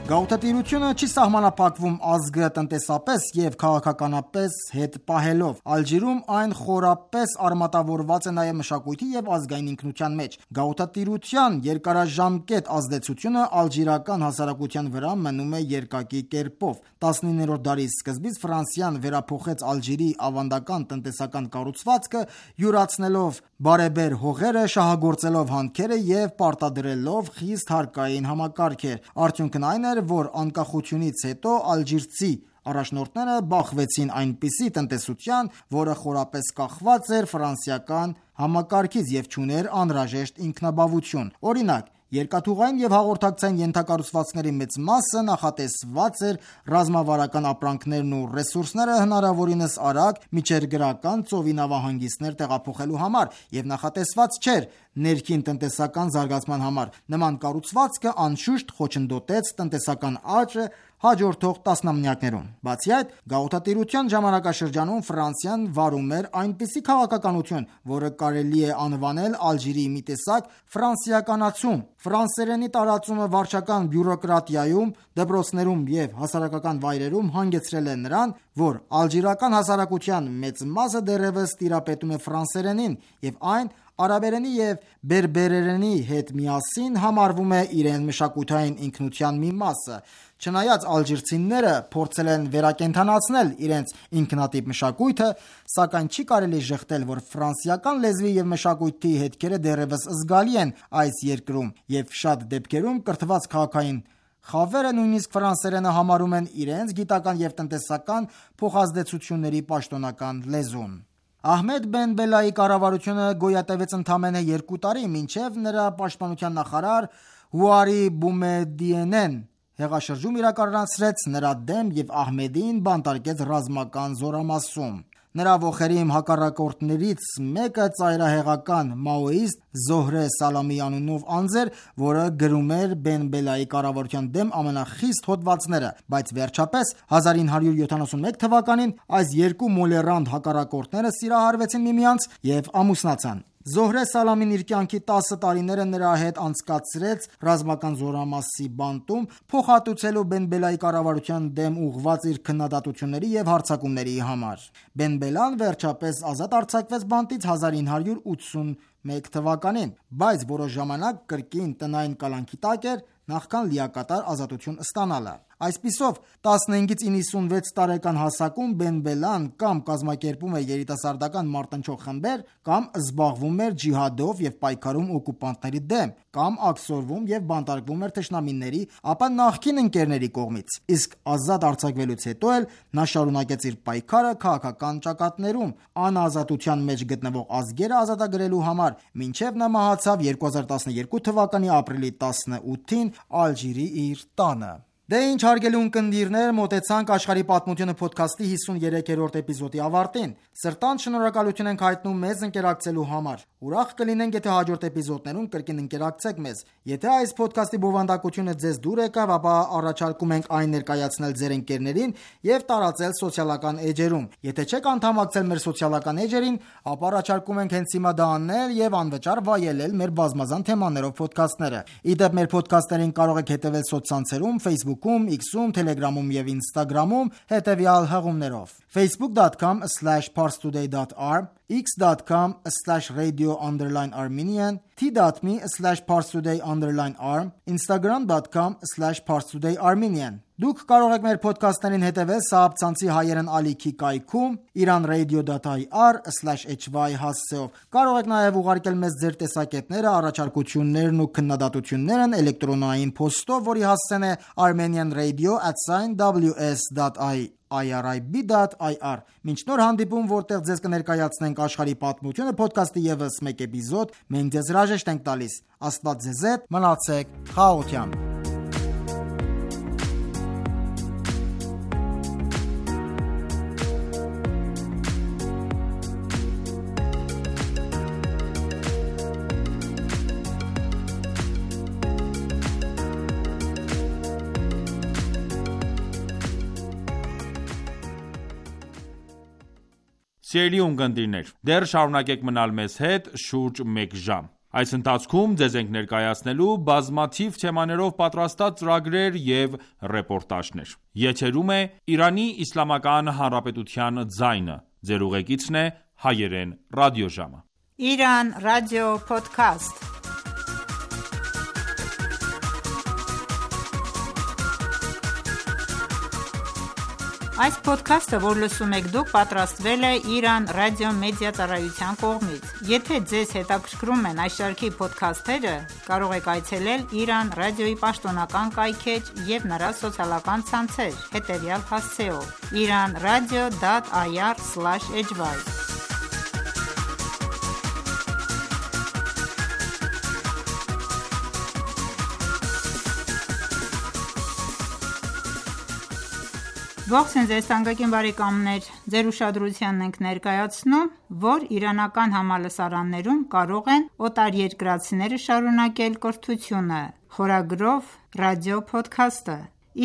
Գաղութատիրությունը չի սահմանափակվում ազգը տնտեսապես եւ քաղաքականապես հետ պահելով։ Ալժիրում այն խորապես արմատավորված է նաեւ մշակույթի եւ ազգային ինքնության մեջ։ Գաղութատիրության երկարաժամկետ ազդեցությունը ալժիրական հասարակության վրա մնում է երկակի կերպով։ 19-րդ դարի սկզբից Ֆրանսիան վերափոխեց Ալժիրի ավանդական տնտեսական կառուցվածքը, յուրացնելով բարեբեր հողերը, շահագործելով հանքերը եւ պարտադրելով խիստ հարկային համակարգեր։ Արդյունքն այն էր, որ անկախությունից հետո ալժիրցի առաջնորդները բախվեցին այնպիսի տնտեսության, որը խորապես կախված էր ֆրանսիական համակարգից եւ չուներ անհրաժեշտ ինքնաբավություն։ Օրինակ, երկաթուղային եւ հաղորդակցային ենթակառուցվածքների մեծ մասը նախատեսված էր ռազմավարական ապրանքներն ու ռեսուրսները հնարավորինս արագ միջերգրական ծովի նավահանգիստներ տեղափոխելու համար եւ նախատեսված չէր ներքին տնտեսական զարգացման համար։ Նման կառուցվածքը անշուշտ խոչընդոտեց տնտեսական աճը հաջորդող տասնամյակներում։ Բացի այդ, գաղութատիրության ժամանակաշրջանում Ֆրանսիան վարում էր այնպիսի քաղաքականություն, որը կարելի է անվանել Ալժիրի մի տեսակ ֆրանսիականացում։ Ֆրանսերենի տարածումը վարչական բյուրոկրատիայում, դպրոցներում եւ հասարակական վայրերում հանգեցրել է նրան, որ ալժիրական հասարակության մեծ մասը դեռևս տիրապետում է ֆրանսերենին եւ այն արաբերենի եւ բերբերերենի հետ միասին համարվում է իրեն մշակութային ինքնության մի մասը։ Չնայած ալժիրցիները փորձել են վերակենդանացնել իրենց ինքնատիպ մշակույթը, սակայն չի կարելի շեշտել, որ ֆրանսիական լեզվի եւ մշակույթի հետքերը դեռևս զգալի են այս երկրում եւ շատ դեպքերում կրթված քաղաքային խավերը նույնիսկ ֆրանսերենը համարում են իրենց գիտական եւ տնտեսական փոխազդեցությունների պաշտոնական լեզուն։ Ահմեդ Բեն Բելայի կառավարությունը գոյատևեց ընդամենը 2 տարի, մինչև նրա պաշտպանության նախարար Հուարի Բումեդիենեն հեղաշրջում իրականացրեց նրա դեմ եւ Ահմեդին բանտարկեց ռազմական զորամասում։ Նրա ոխերիմ հակառակորդներից մեկը ծայրահեղական մաոիստ Զոհրե Սալամի անունով անձ էր, որը գրում էր Բեն Բելայի կառավարության դեմ ամենախիստ հոդվածները, բայց վերջապես 1971 թվականին այս երկու մոլերանտ հակառակորդները սիրահարվեցին միմյանց եւ ամուսնացան։ Զոհրե Սալամին իր կյանքի 10 տարիները նրա հետ անցկացրեց ռազմական զորամասի բանտում, փոխհատուցելու Բեն Բելայի կառավարության դեմ ուղղված իր քննադատությունների և հարձակումների համար։ Բեն Բելան վերջապես ազատ արձակվեց բանտից 1981 թվականին, բայց որոշ ժամանակ կրկին տնային կալանքի տակ էր, նախքան լիակատար ազատություն ստանալը։ Այսպիսով 15-ից 96 տարեկան հասակում Բեն Բելան կամ կազմակերպում էր երիտասարդական մարտնչող խմբեր, կամ զբաղվում էր ջիհադով և պայքարում օկուպանտների դեմ, կամ աքսորվում և բանտարկվում էր թշնամիների, ապա նախկին ընկերների կողմից։ Իսկ ազատ արձակվելուց հետո էլ նա շարունակեց իր պայքարը քաղաքական ճակատներում, անազատության մեջ գտնվող ազգերը ազատագրելու համար, մինչև նա մահացավ 2012 թվականի ապրիլի 18-ին Ալժիրի իր տանը։ Դե ինչ հարգելի ունկնդիրներ, մոտեցանք աշխարհի պատմությունը փոդքասթի 53-րդ էպիզոդի ավարտին։ Սրտանց շնորհակալություն ենք հայտնում մեզ ընկերակցելու համար։ Ուրախ կլինենք, եթե հաջորդ էպիզոդներում կրկին ընկերակցեք մեզ։ Եթե այս փոդքասթի բովանդակությունը ձեզ դուր եկավ, ապա առաջարկում ենք այն ներկայացնել ձեր ընկերներին եւ տարածել սոցիալական էջերում։ Եթե չեք անդամակցել մեր սոցիալական էջերին, ապա առաջարկում ենք հենց հիմա դա անել եւ անվճար վայելել մեր բազմազան թեմաներով փոդքասթները։ Իդեպ մեր փոդքասթերին կարող եք հետևել սոցցանցերում, Facebook-ում, X-ում, Telegram-ում եւ Instagram-ում հետեւյալ հղումներով. facebook.com/parstoday.r, x.com/radio_armenian, t.me/parstoday_r, instagram.com/parstoday_armenian։ Դուք կարող եք մեր փոդքասթերին հետևել Սահաբ-ցանցի հայերեն ալիքի կայքում iranradio.ir/hy հասցեով։ Կարող եք նաև ուղարկել մեզ ձեր տեսակետները, առաջարկություններն ու քննադատություններն էլեկտրոնային փոստով, որի հասցեն է armenianradio@ws.irib.ir։ Մինչ նոր հանդիպում, որտեղ ձեզ կներկայացնենք աշխարհի պատմությունը փոդքասթի ևս մեկ էպիզոդ, մենք ձեզ հրաժեշտ ենք տալիս։ Աստված ձեզ հետ, մնացեք խաղաղությամբ։ Սիրելի ունկնդիրներ, դեռ շարունակեք մնալ մեզ հետ շուրջ մեկ ժամ։ Այս ընթացքում ձեզ ենք ներկայացնելու բազմաթիվ թեմաներով պատրաստած ծրագրեր և ռեպորտաժներ։ Եթերում է Իրանի Իսլամական Հանրապետության ձայնը։ Ձեր ուղեկիցն է հայերեն ռադիոժամը։ Իրան ռադիո փոդքասթ։ Այս փոդքասթը, որ լսում եք դուք, պատրաստվել է Իրան ռադիո մեդիա ծառայության կողմից։ Եթե ձեզ հետաքրքրում են այս շարքի փոդքասթերը, կարող եք այցելել Իրան ռադիոյի պաշտոնական կայքէջ և նրա սոցիալական ցանցեր հետևյալ հասցեով՝ iranradio.ir/hy։ Ողջույն ձեզ թանկագին բարեկամներ, ձեր ուշադրությանն ենք ներկայացնում, որ իրանական համալսարաններում կարող են օտարերկրացիները շարունակել կրթությունը, խորագրով ռադիո փոդքասթը։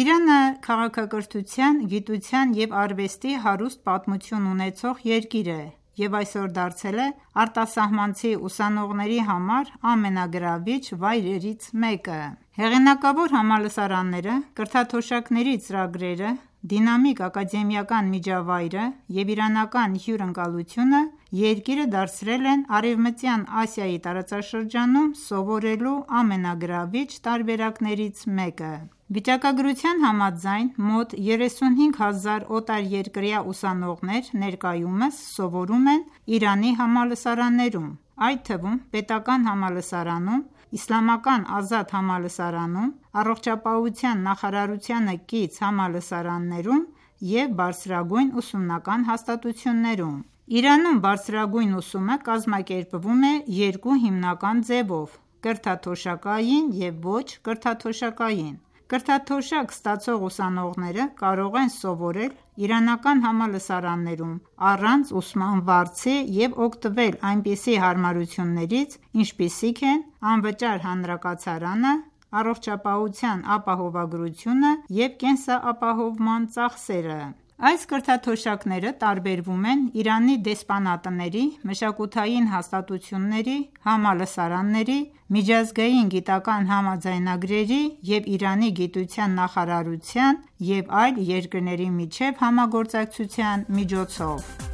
Իրանը քաղաքակրթության, գիտության և արվեստի հարուստ պատմություն ունեցող երկիր է և այսօր դարձել է արտասահմանցի ուսանողների համար ամենագրավիչ վայրերից մեկը։ Հեղինակավոր համալսարանները, կրթաթոշակների ծրագրերը, դինամիկ ակադեմիական միջավայրը և իրանական հյուրընկալությունը երկիրը դարձրել են Արևմտյան Ասիայի տարածաշրջանում սովորելու ամենագրավիչ տարբերակներից մեկը։ Վիճակագրության համաձայն, մոտ 35,000 օտարերկրյա ուսանողներ ներկայումս սովորում են Իրանի համալսարաններում, այդ թվում պետական համալսարանում, Իսլամական ազատ համալսարանում, Առողջապահության նախարարությանը կից համալսարաններում և բարձրագույն ուսումնական հաստատություններում։ Իրանում բարձրագույն ուսումը կազմակերպվում է երկու հիմնական ձևով՝ կրթաթոշակային և ոչ կրթաթոշակային։ Կրթաթոշակ ստացող ուսանողները կարող են սովորել իրանական համալսարաններում առանց ուսման վարձի և օգտվել այնպիսի հարմարություններից, ինչպիսիք են անվճար հանրակացարանը, առողջապահության ապահովագրությունը և կենսապահովման ծախսերը։ Այս կրթաթոշակները տարբերվում են Իրանի դեսպանատների, մշակութային հաստատությունների, համալսարանների, միջազգային գիտական համաձայնագրերի և Իրանի գիտության նախարարության և այլ երկրների միջև համագործակցության միջոցով։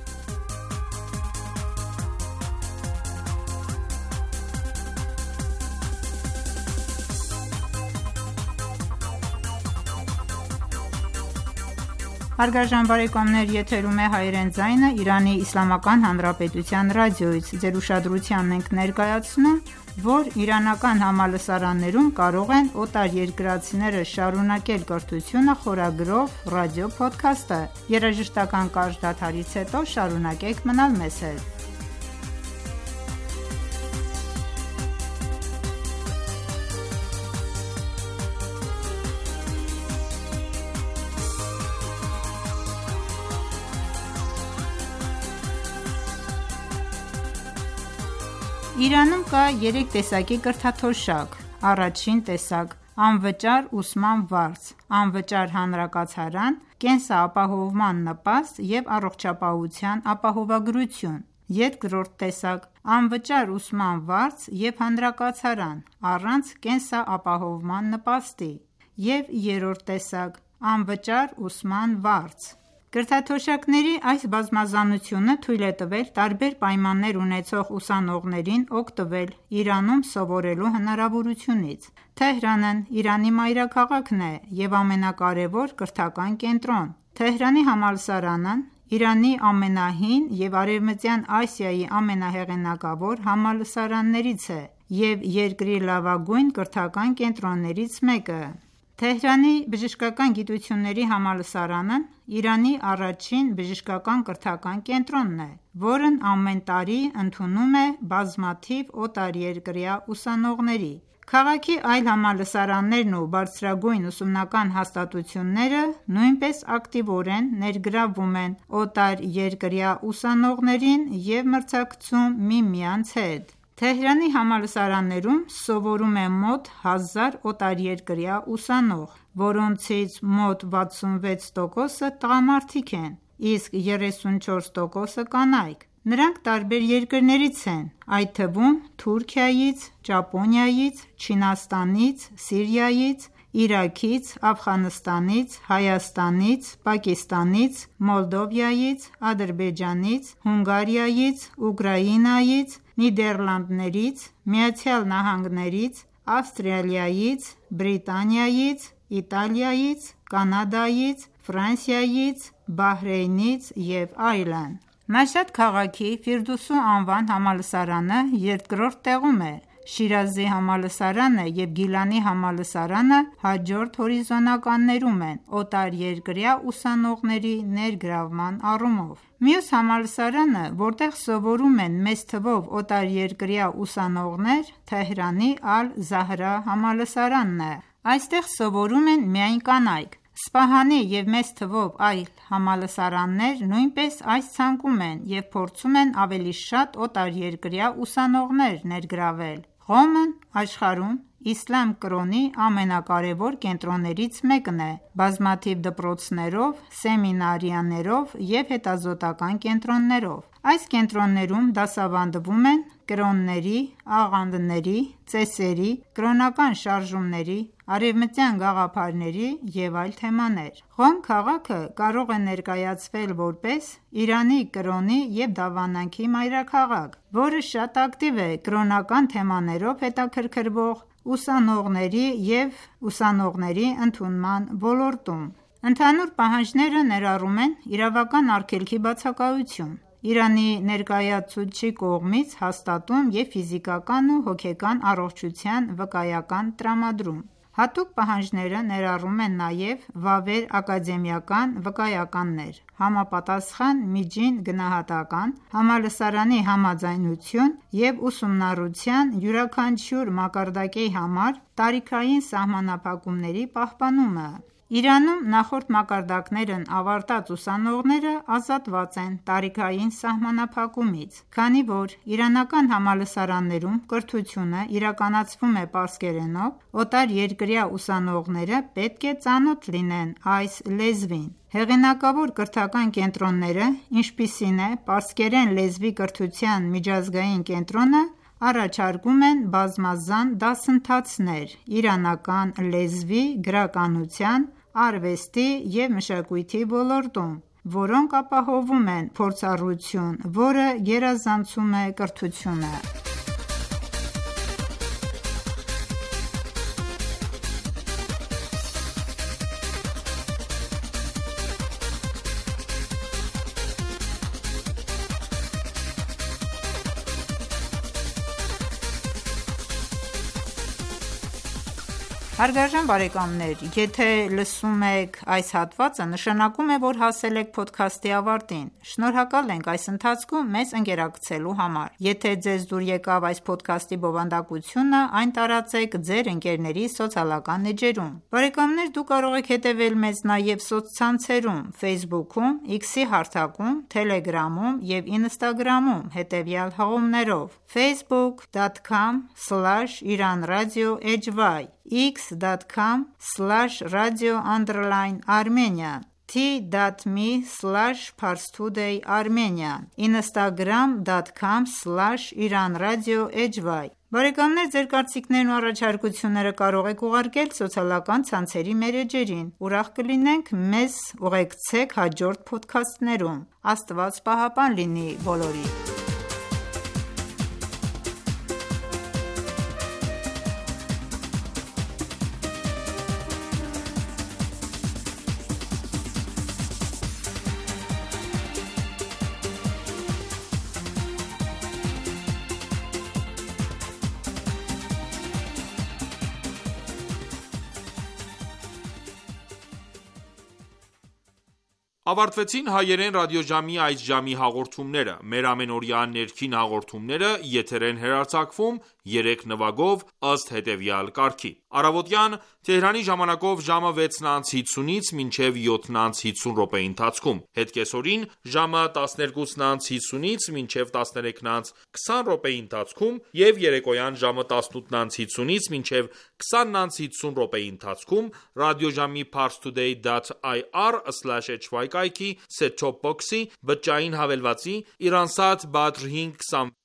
Հարգարժան բարեկամներ, եթերում է հայերեն ձայնը Իրանի Իսլամական Հանրապետության ռադիոից։ Ձեր ուշադրությանն ենք ներկայացնում, որ իրանական համալսարաններում կարող են օտարերկրացիները շարունակել կրթությունը խորագրով ռադիո-փոդքասթը։ Երաժշտական կարճ դադարից հետո շարունակենք մնալ մեզ հետ։ Իրանում կա 3 տեսակի կրթաթոշակ։ Առաջին տեսակ՝ անվճար ուսման վարձ, անվճար հանրակացարան, կենսապահովման նպաստ և առողջապահության ապահովագրություն։ Երկրորդ տեսակ՝ անվճար ուսման վարձ և հանրակացարան, առանց կենսապահովման նպաստի։ Եվ երրորդ տեսակ՝ անվճար ուսման վարձ։ Կրթաթոշակների այս բազմազանությունը թույլ է տվել տարբեր պայմաններ ունեցող ուսանողներին օգտվել Իրանում սովորելու հնարավորությունից։ Թեհրանն Իրանի մայրաքաղաքն է և ամենակարևոր կրթական կենտրոն։ Թեհրանի համալսարանն Իրանի ամենահին և Արևմտյան Ասիայի ամենահեղինակավոր համալսարաններից է և երկրի լավագույն կրթական կենտրոններից մեկը։ Թեհրանի բժշկական գիտությունների համալսարանն Իրանի առաջին բժշկական կրթական կենտրոնն է, որն ամեն տարի ընդունում է բազմաթիվ օտարերկրյա ուսանողների։ Քաղաքի այլ համալսարաններն ու բարձրագույն ուսումնական հաստատությունները նույնպես ակտիվորեն ներգրավվում են օտարերկրյա ուսանողներին և մրցակցում միմյանց հետ։ Թեհրանի համալսարաններում սովորում է մոտ 1000 օտարերկրյա ուսանող, որոնցից մոտ 66%-ը տղամարդիկ են, իսկ 34%-ը կանայք։ Նրանք տարբեր երկրներից են, այդ թվում Թուրքիայից, Ճապոնիայից, Չինաստանից, Սիրիայից, Իրաքից, Աֆղանստանից, Հայաստանից, Պակիստանից, Մոլդովայից, Ադրբեջանից, Հունգարիայից, Ուկրաինայից, Նիդերլանդներից, ԱՄՆ-ից, Ավստրալիայից, Բրիտանիայից, Իտալիայից, Կանադայից, Ֆրանսիայից, Բահրեյնից և այլն։ Մաշհադ քաղաքի Ֆիրդուսու անվան համալսարանը երկրորդ տեղում է։ Շիրազի համալսարանը և Գիլանի համալսարանը հաջորդ հորիզոնականներում են օտարերկրյա ուսանողների ներգրավման առումով։ Մյուս համալսարանը, որտեղ սովորում են մեծ թվով օտարերկրյա ուսանողներ, Թեհրանի Ալ-Զահրա համալսարանն է։ Այստեղ սովորում են միայն կանայք։ Սպահանի և մեծ թվով այլ համալսարաններ նույնպես այս ցանկում են և փորձում են ավելի շատ օտարերկրյա ուսանողներ ներգրավել։ Ղոմն աշխարհում իսլամ կրոնի ամենակարևոր կենտրոններից մեկն է՝ բազմաթիվ դպրոցներով, սեմինարիաներով և հետազոտական կենտրոններով։ Այս կենտրոններում դասավանդվում են կրոնների, աղանդների, ծեսերի, կրոնական շարժումների, արևմտյան գաղափարների և այլ թեմաներ։ Ղոմ քաղաքը կարող է ներկայացվել որպես Իրանի կրոնի և դավանանքի մայրաքաղաք, որը շատ ակտիվ է կրոնական թեմաներով հետաքրքրվող ուսանողների և ուսանողների ընդունման ոլորտում։ Ընդհանուր պահանջները ներառում են իրավական արգելքի բացակայություն, Իրանի ներկայացուցչի կողմից հաստատում և ֆիզիկական ու հոգեկան առողջության վկայական տրամադրում։ Հատուկ պահանջները ներառում են նաև վավեր ակադեմիական վկայականներ, համապատասխան միջին գնահատական, համալսարանի համաձայնություն և ուսումնառության յուրաքանչյուր մակարդակի համար տարիքային սահմանափակումների պահպանումը։ Իրանում նախորդ մակարդակներն ավարտած ուսանողները ազատված են տարիքային սահմանափակումից, քանի որ իրանական համալսարաններում կրթությունը իրականացվում է պարսկերենով, օտարերկրյա ուսանողները պետք է ծանոթ լինեն այս լեզվին։ Հեղինակավոր կրթական կենտրոնները, ինչպիսին է պարսկերեն լեզվի կրթության միջազգային կենտրոնը, առաջարկում են բազմազան դասընթացներ իրանական լեզվի, գրականության, արվեստի և մշակույթի ոլորտում, որոնք ապահովում են փորձառություն, որը գերազանցում է կրթությունը։ Հարգարժան բարեկամներ, եթե լսում եք այս հատվածը, նշանակում է, որ հասել եք փոդքասթի ավարտին։ Շնորհակալ ենք այս ընթացքում մեզ ընկերակցելու համար։ Եթե ձեզ դուր եկավ այս փոդքասթի բովանդակությունը, այն տարածեք ձեր ընկերների սոցիալական էջերում։ Բարեկամներ, դուք կարող եք հետևել մեզ նաև սոցցանցերում՝ Facebook-ում, X-ի հարթակում, Telegram-ում և Instagram-ում հետևյալ հղումներով՝ facebook.com/iranradio.hy, x.com/radio_armenian, t.me/parstoday_armenian, instagram.com/iranradio.hy։ Բարեկամներ, ձեր կարծիքներն ու առաջարկությունները կարող եք ուղարկել սոցիալական ցանցերի մեր էջերին։ Ուրախ կլինենք մեզ ուղեկցեք հաջորդ փոդքասթներում։ Աստված պահապան լինի բոլորիդ։ Ավարտվեցին հայերեն ռադիոժամի այս ժամի հաղորդումները։ Մեր ամենօրյա ներքին հաղորդումները եթեր են հեռարձակվում 3 նվագով ըստ հետևյալ կարգի: Առավոտյան Թեհրանի ժամանակով ժամը 6:50-ից մինչև 7:50 րոպեի ընթացքում, հետկեսօրին ժամը 12:50-ից մինչև 13:20 րոպեի ընթացքում և երեկոյան ժամը 18:50-ից մինչև 20:50 րոպեի ընթացքում ռադիոժամի parstoday.ir/hy կայքի set-top box-ի բջջային հավելվածի Iransat Badr 520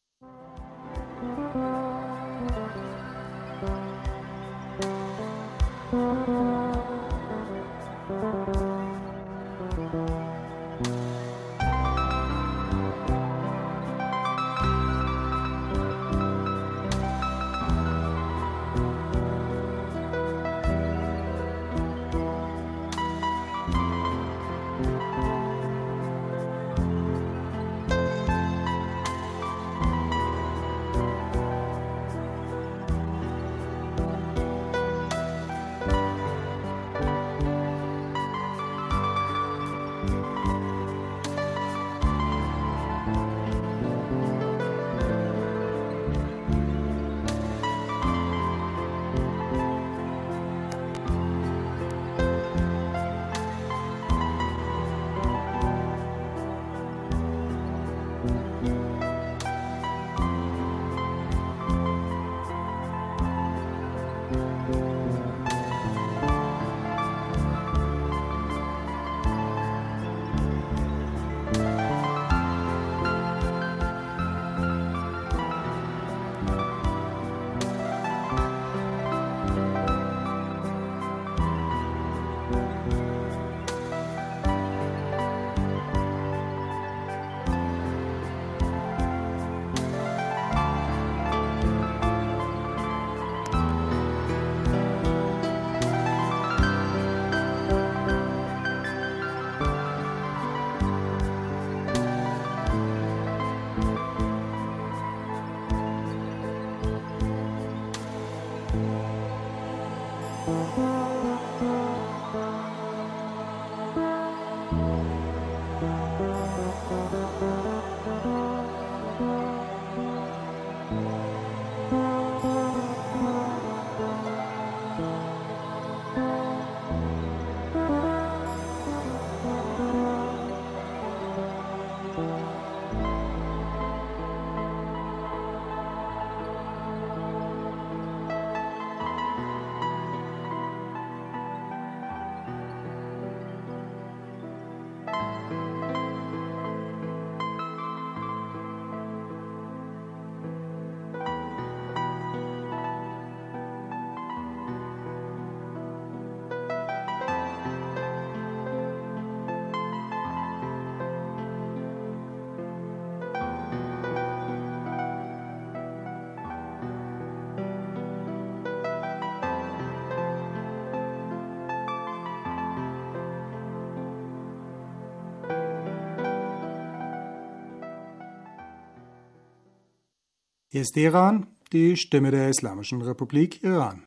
Hier ist Iran, die Stimme der Islamischen Republik Iran.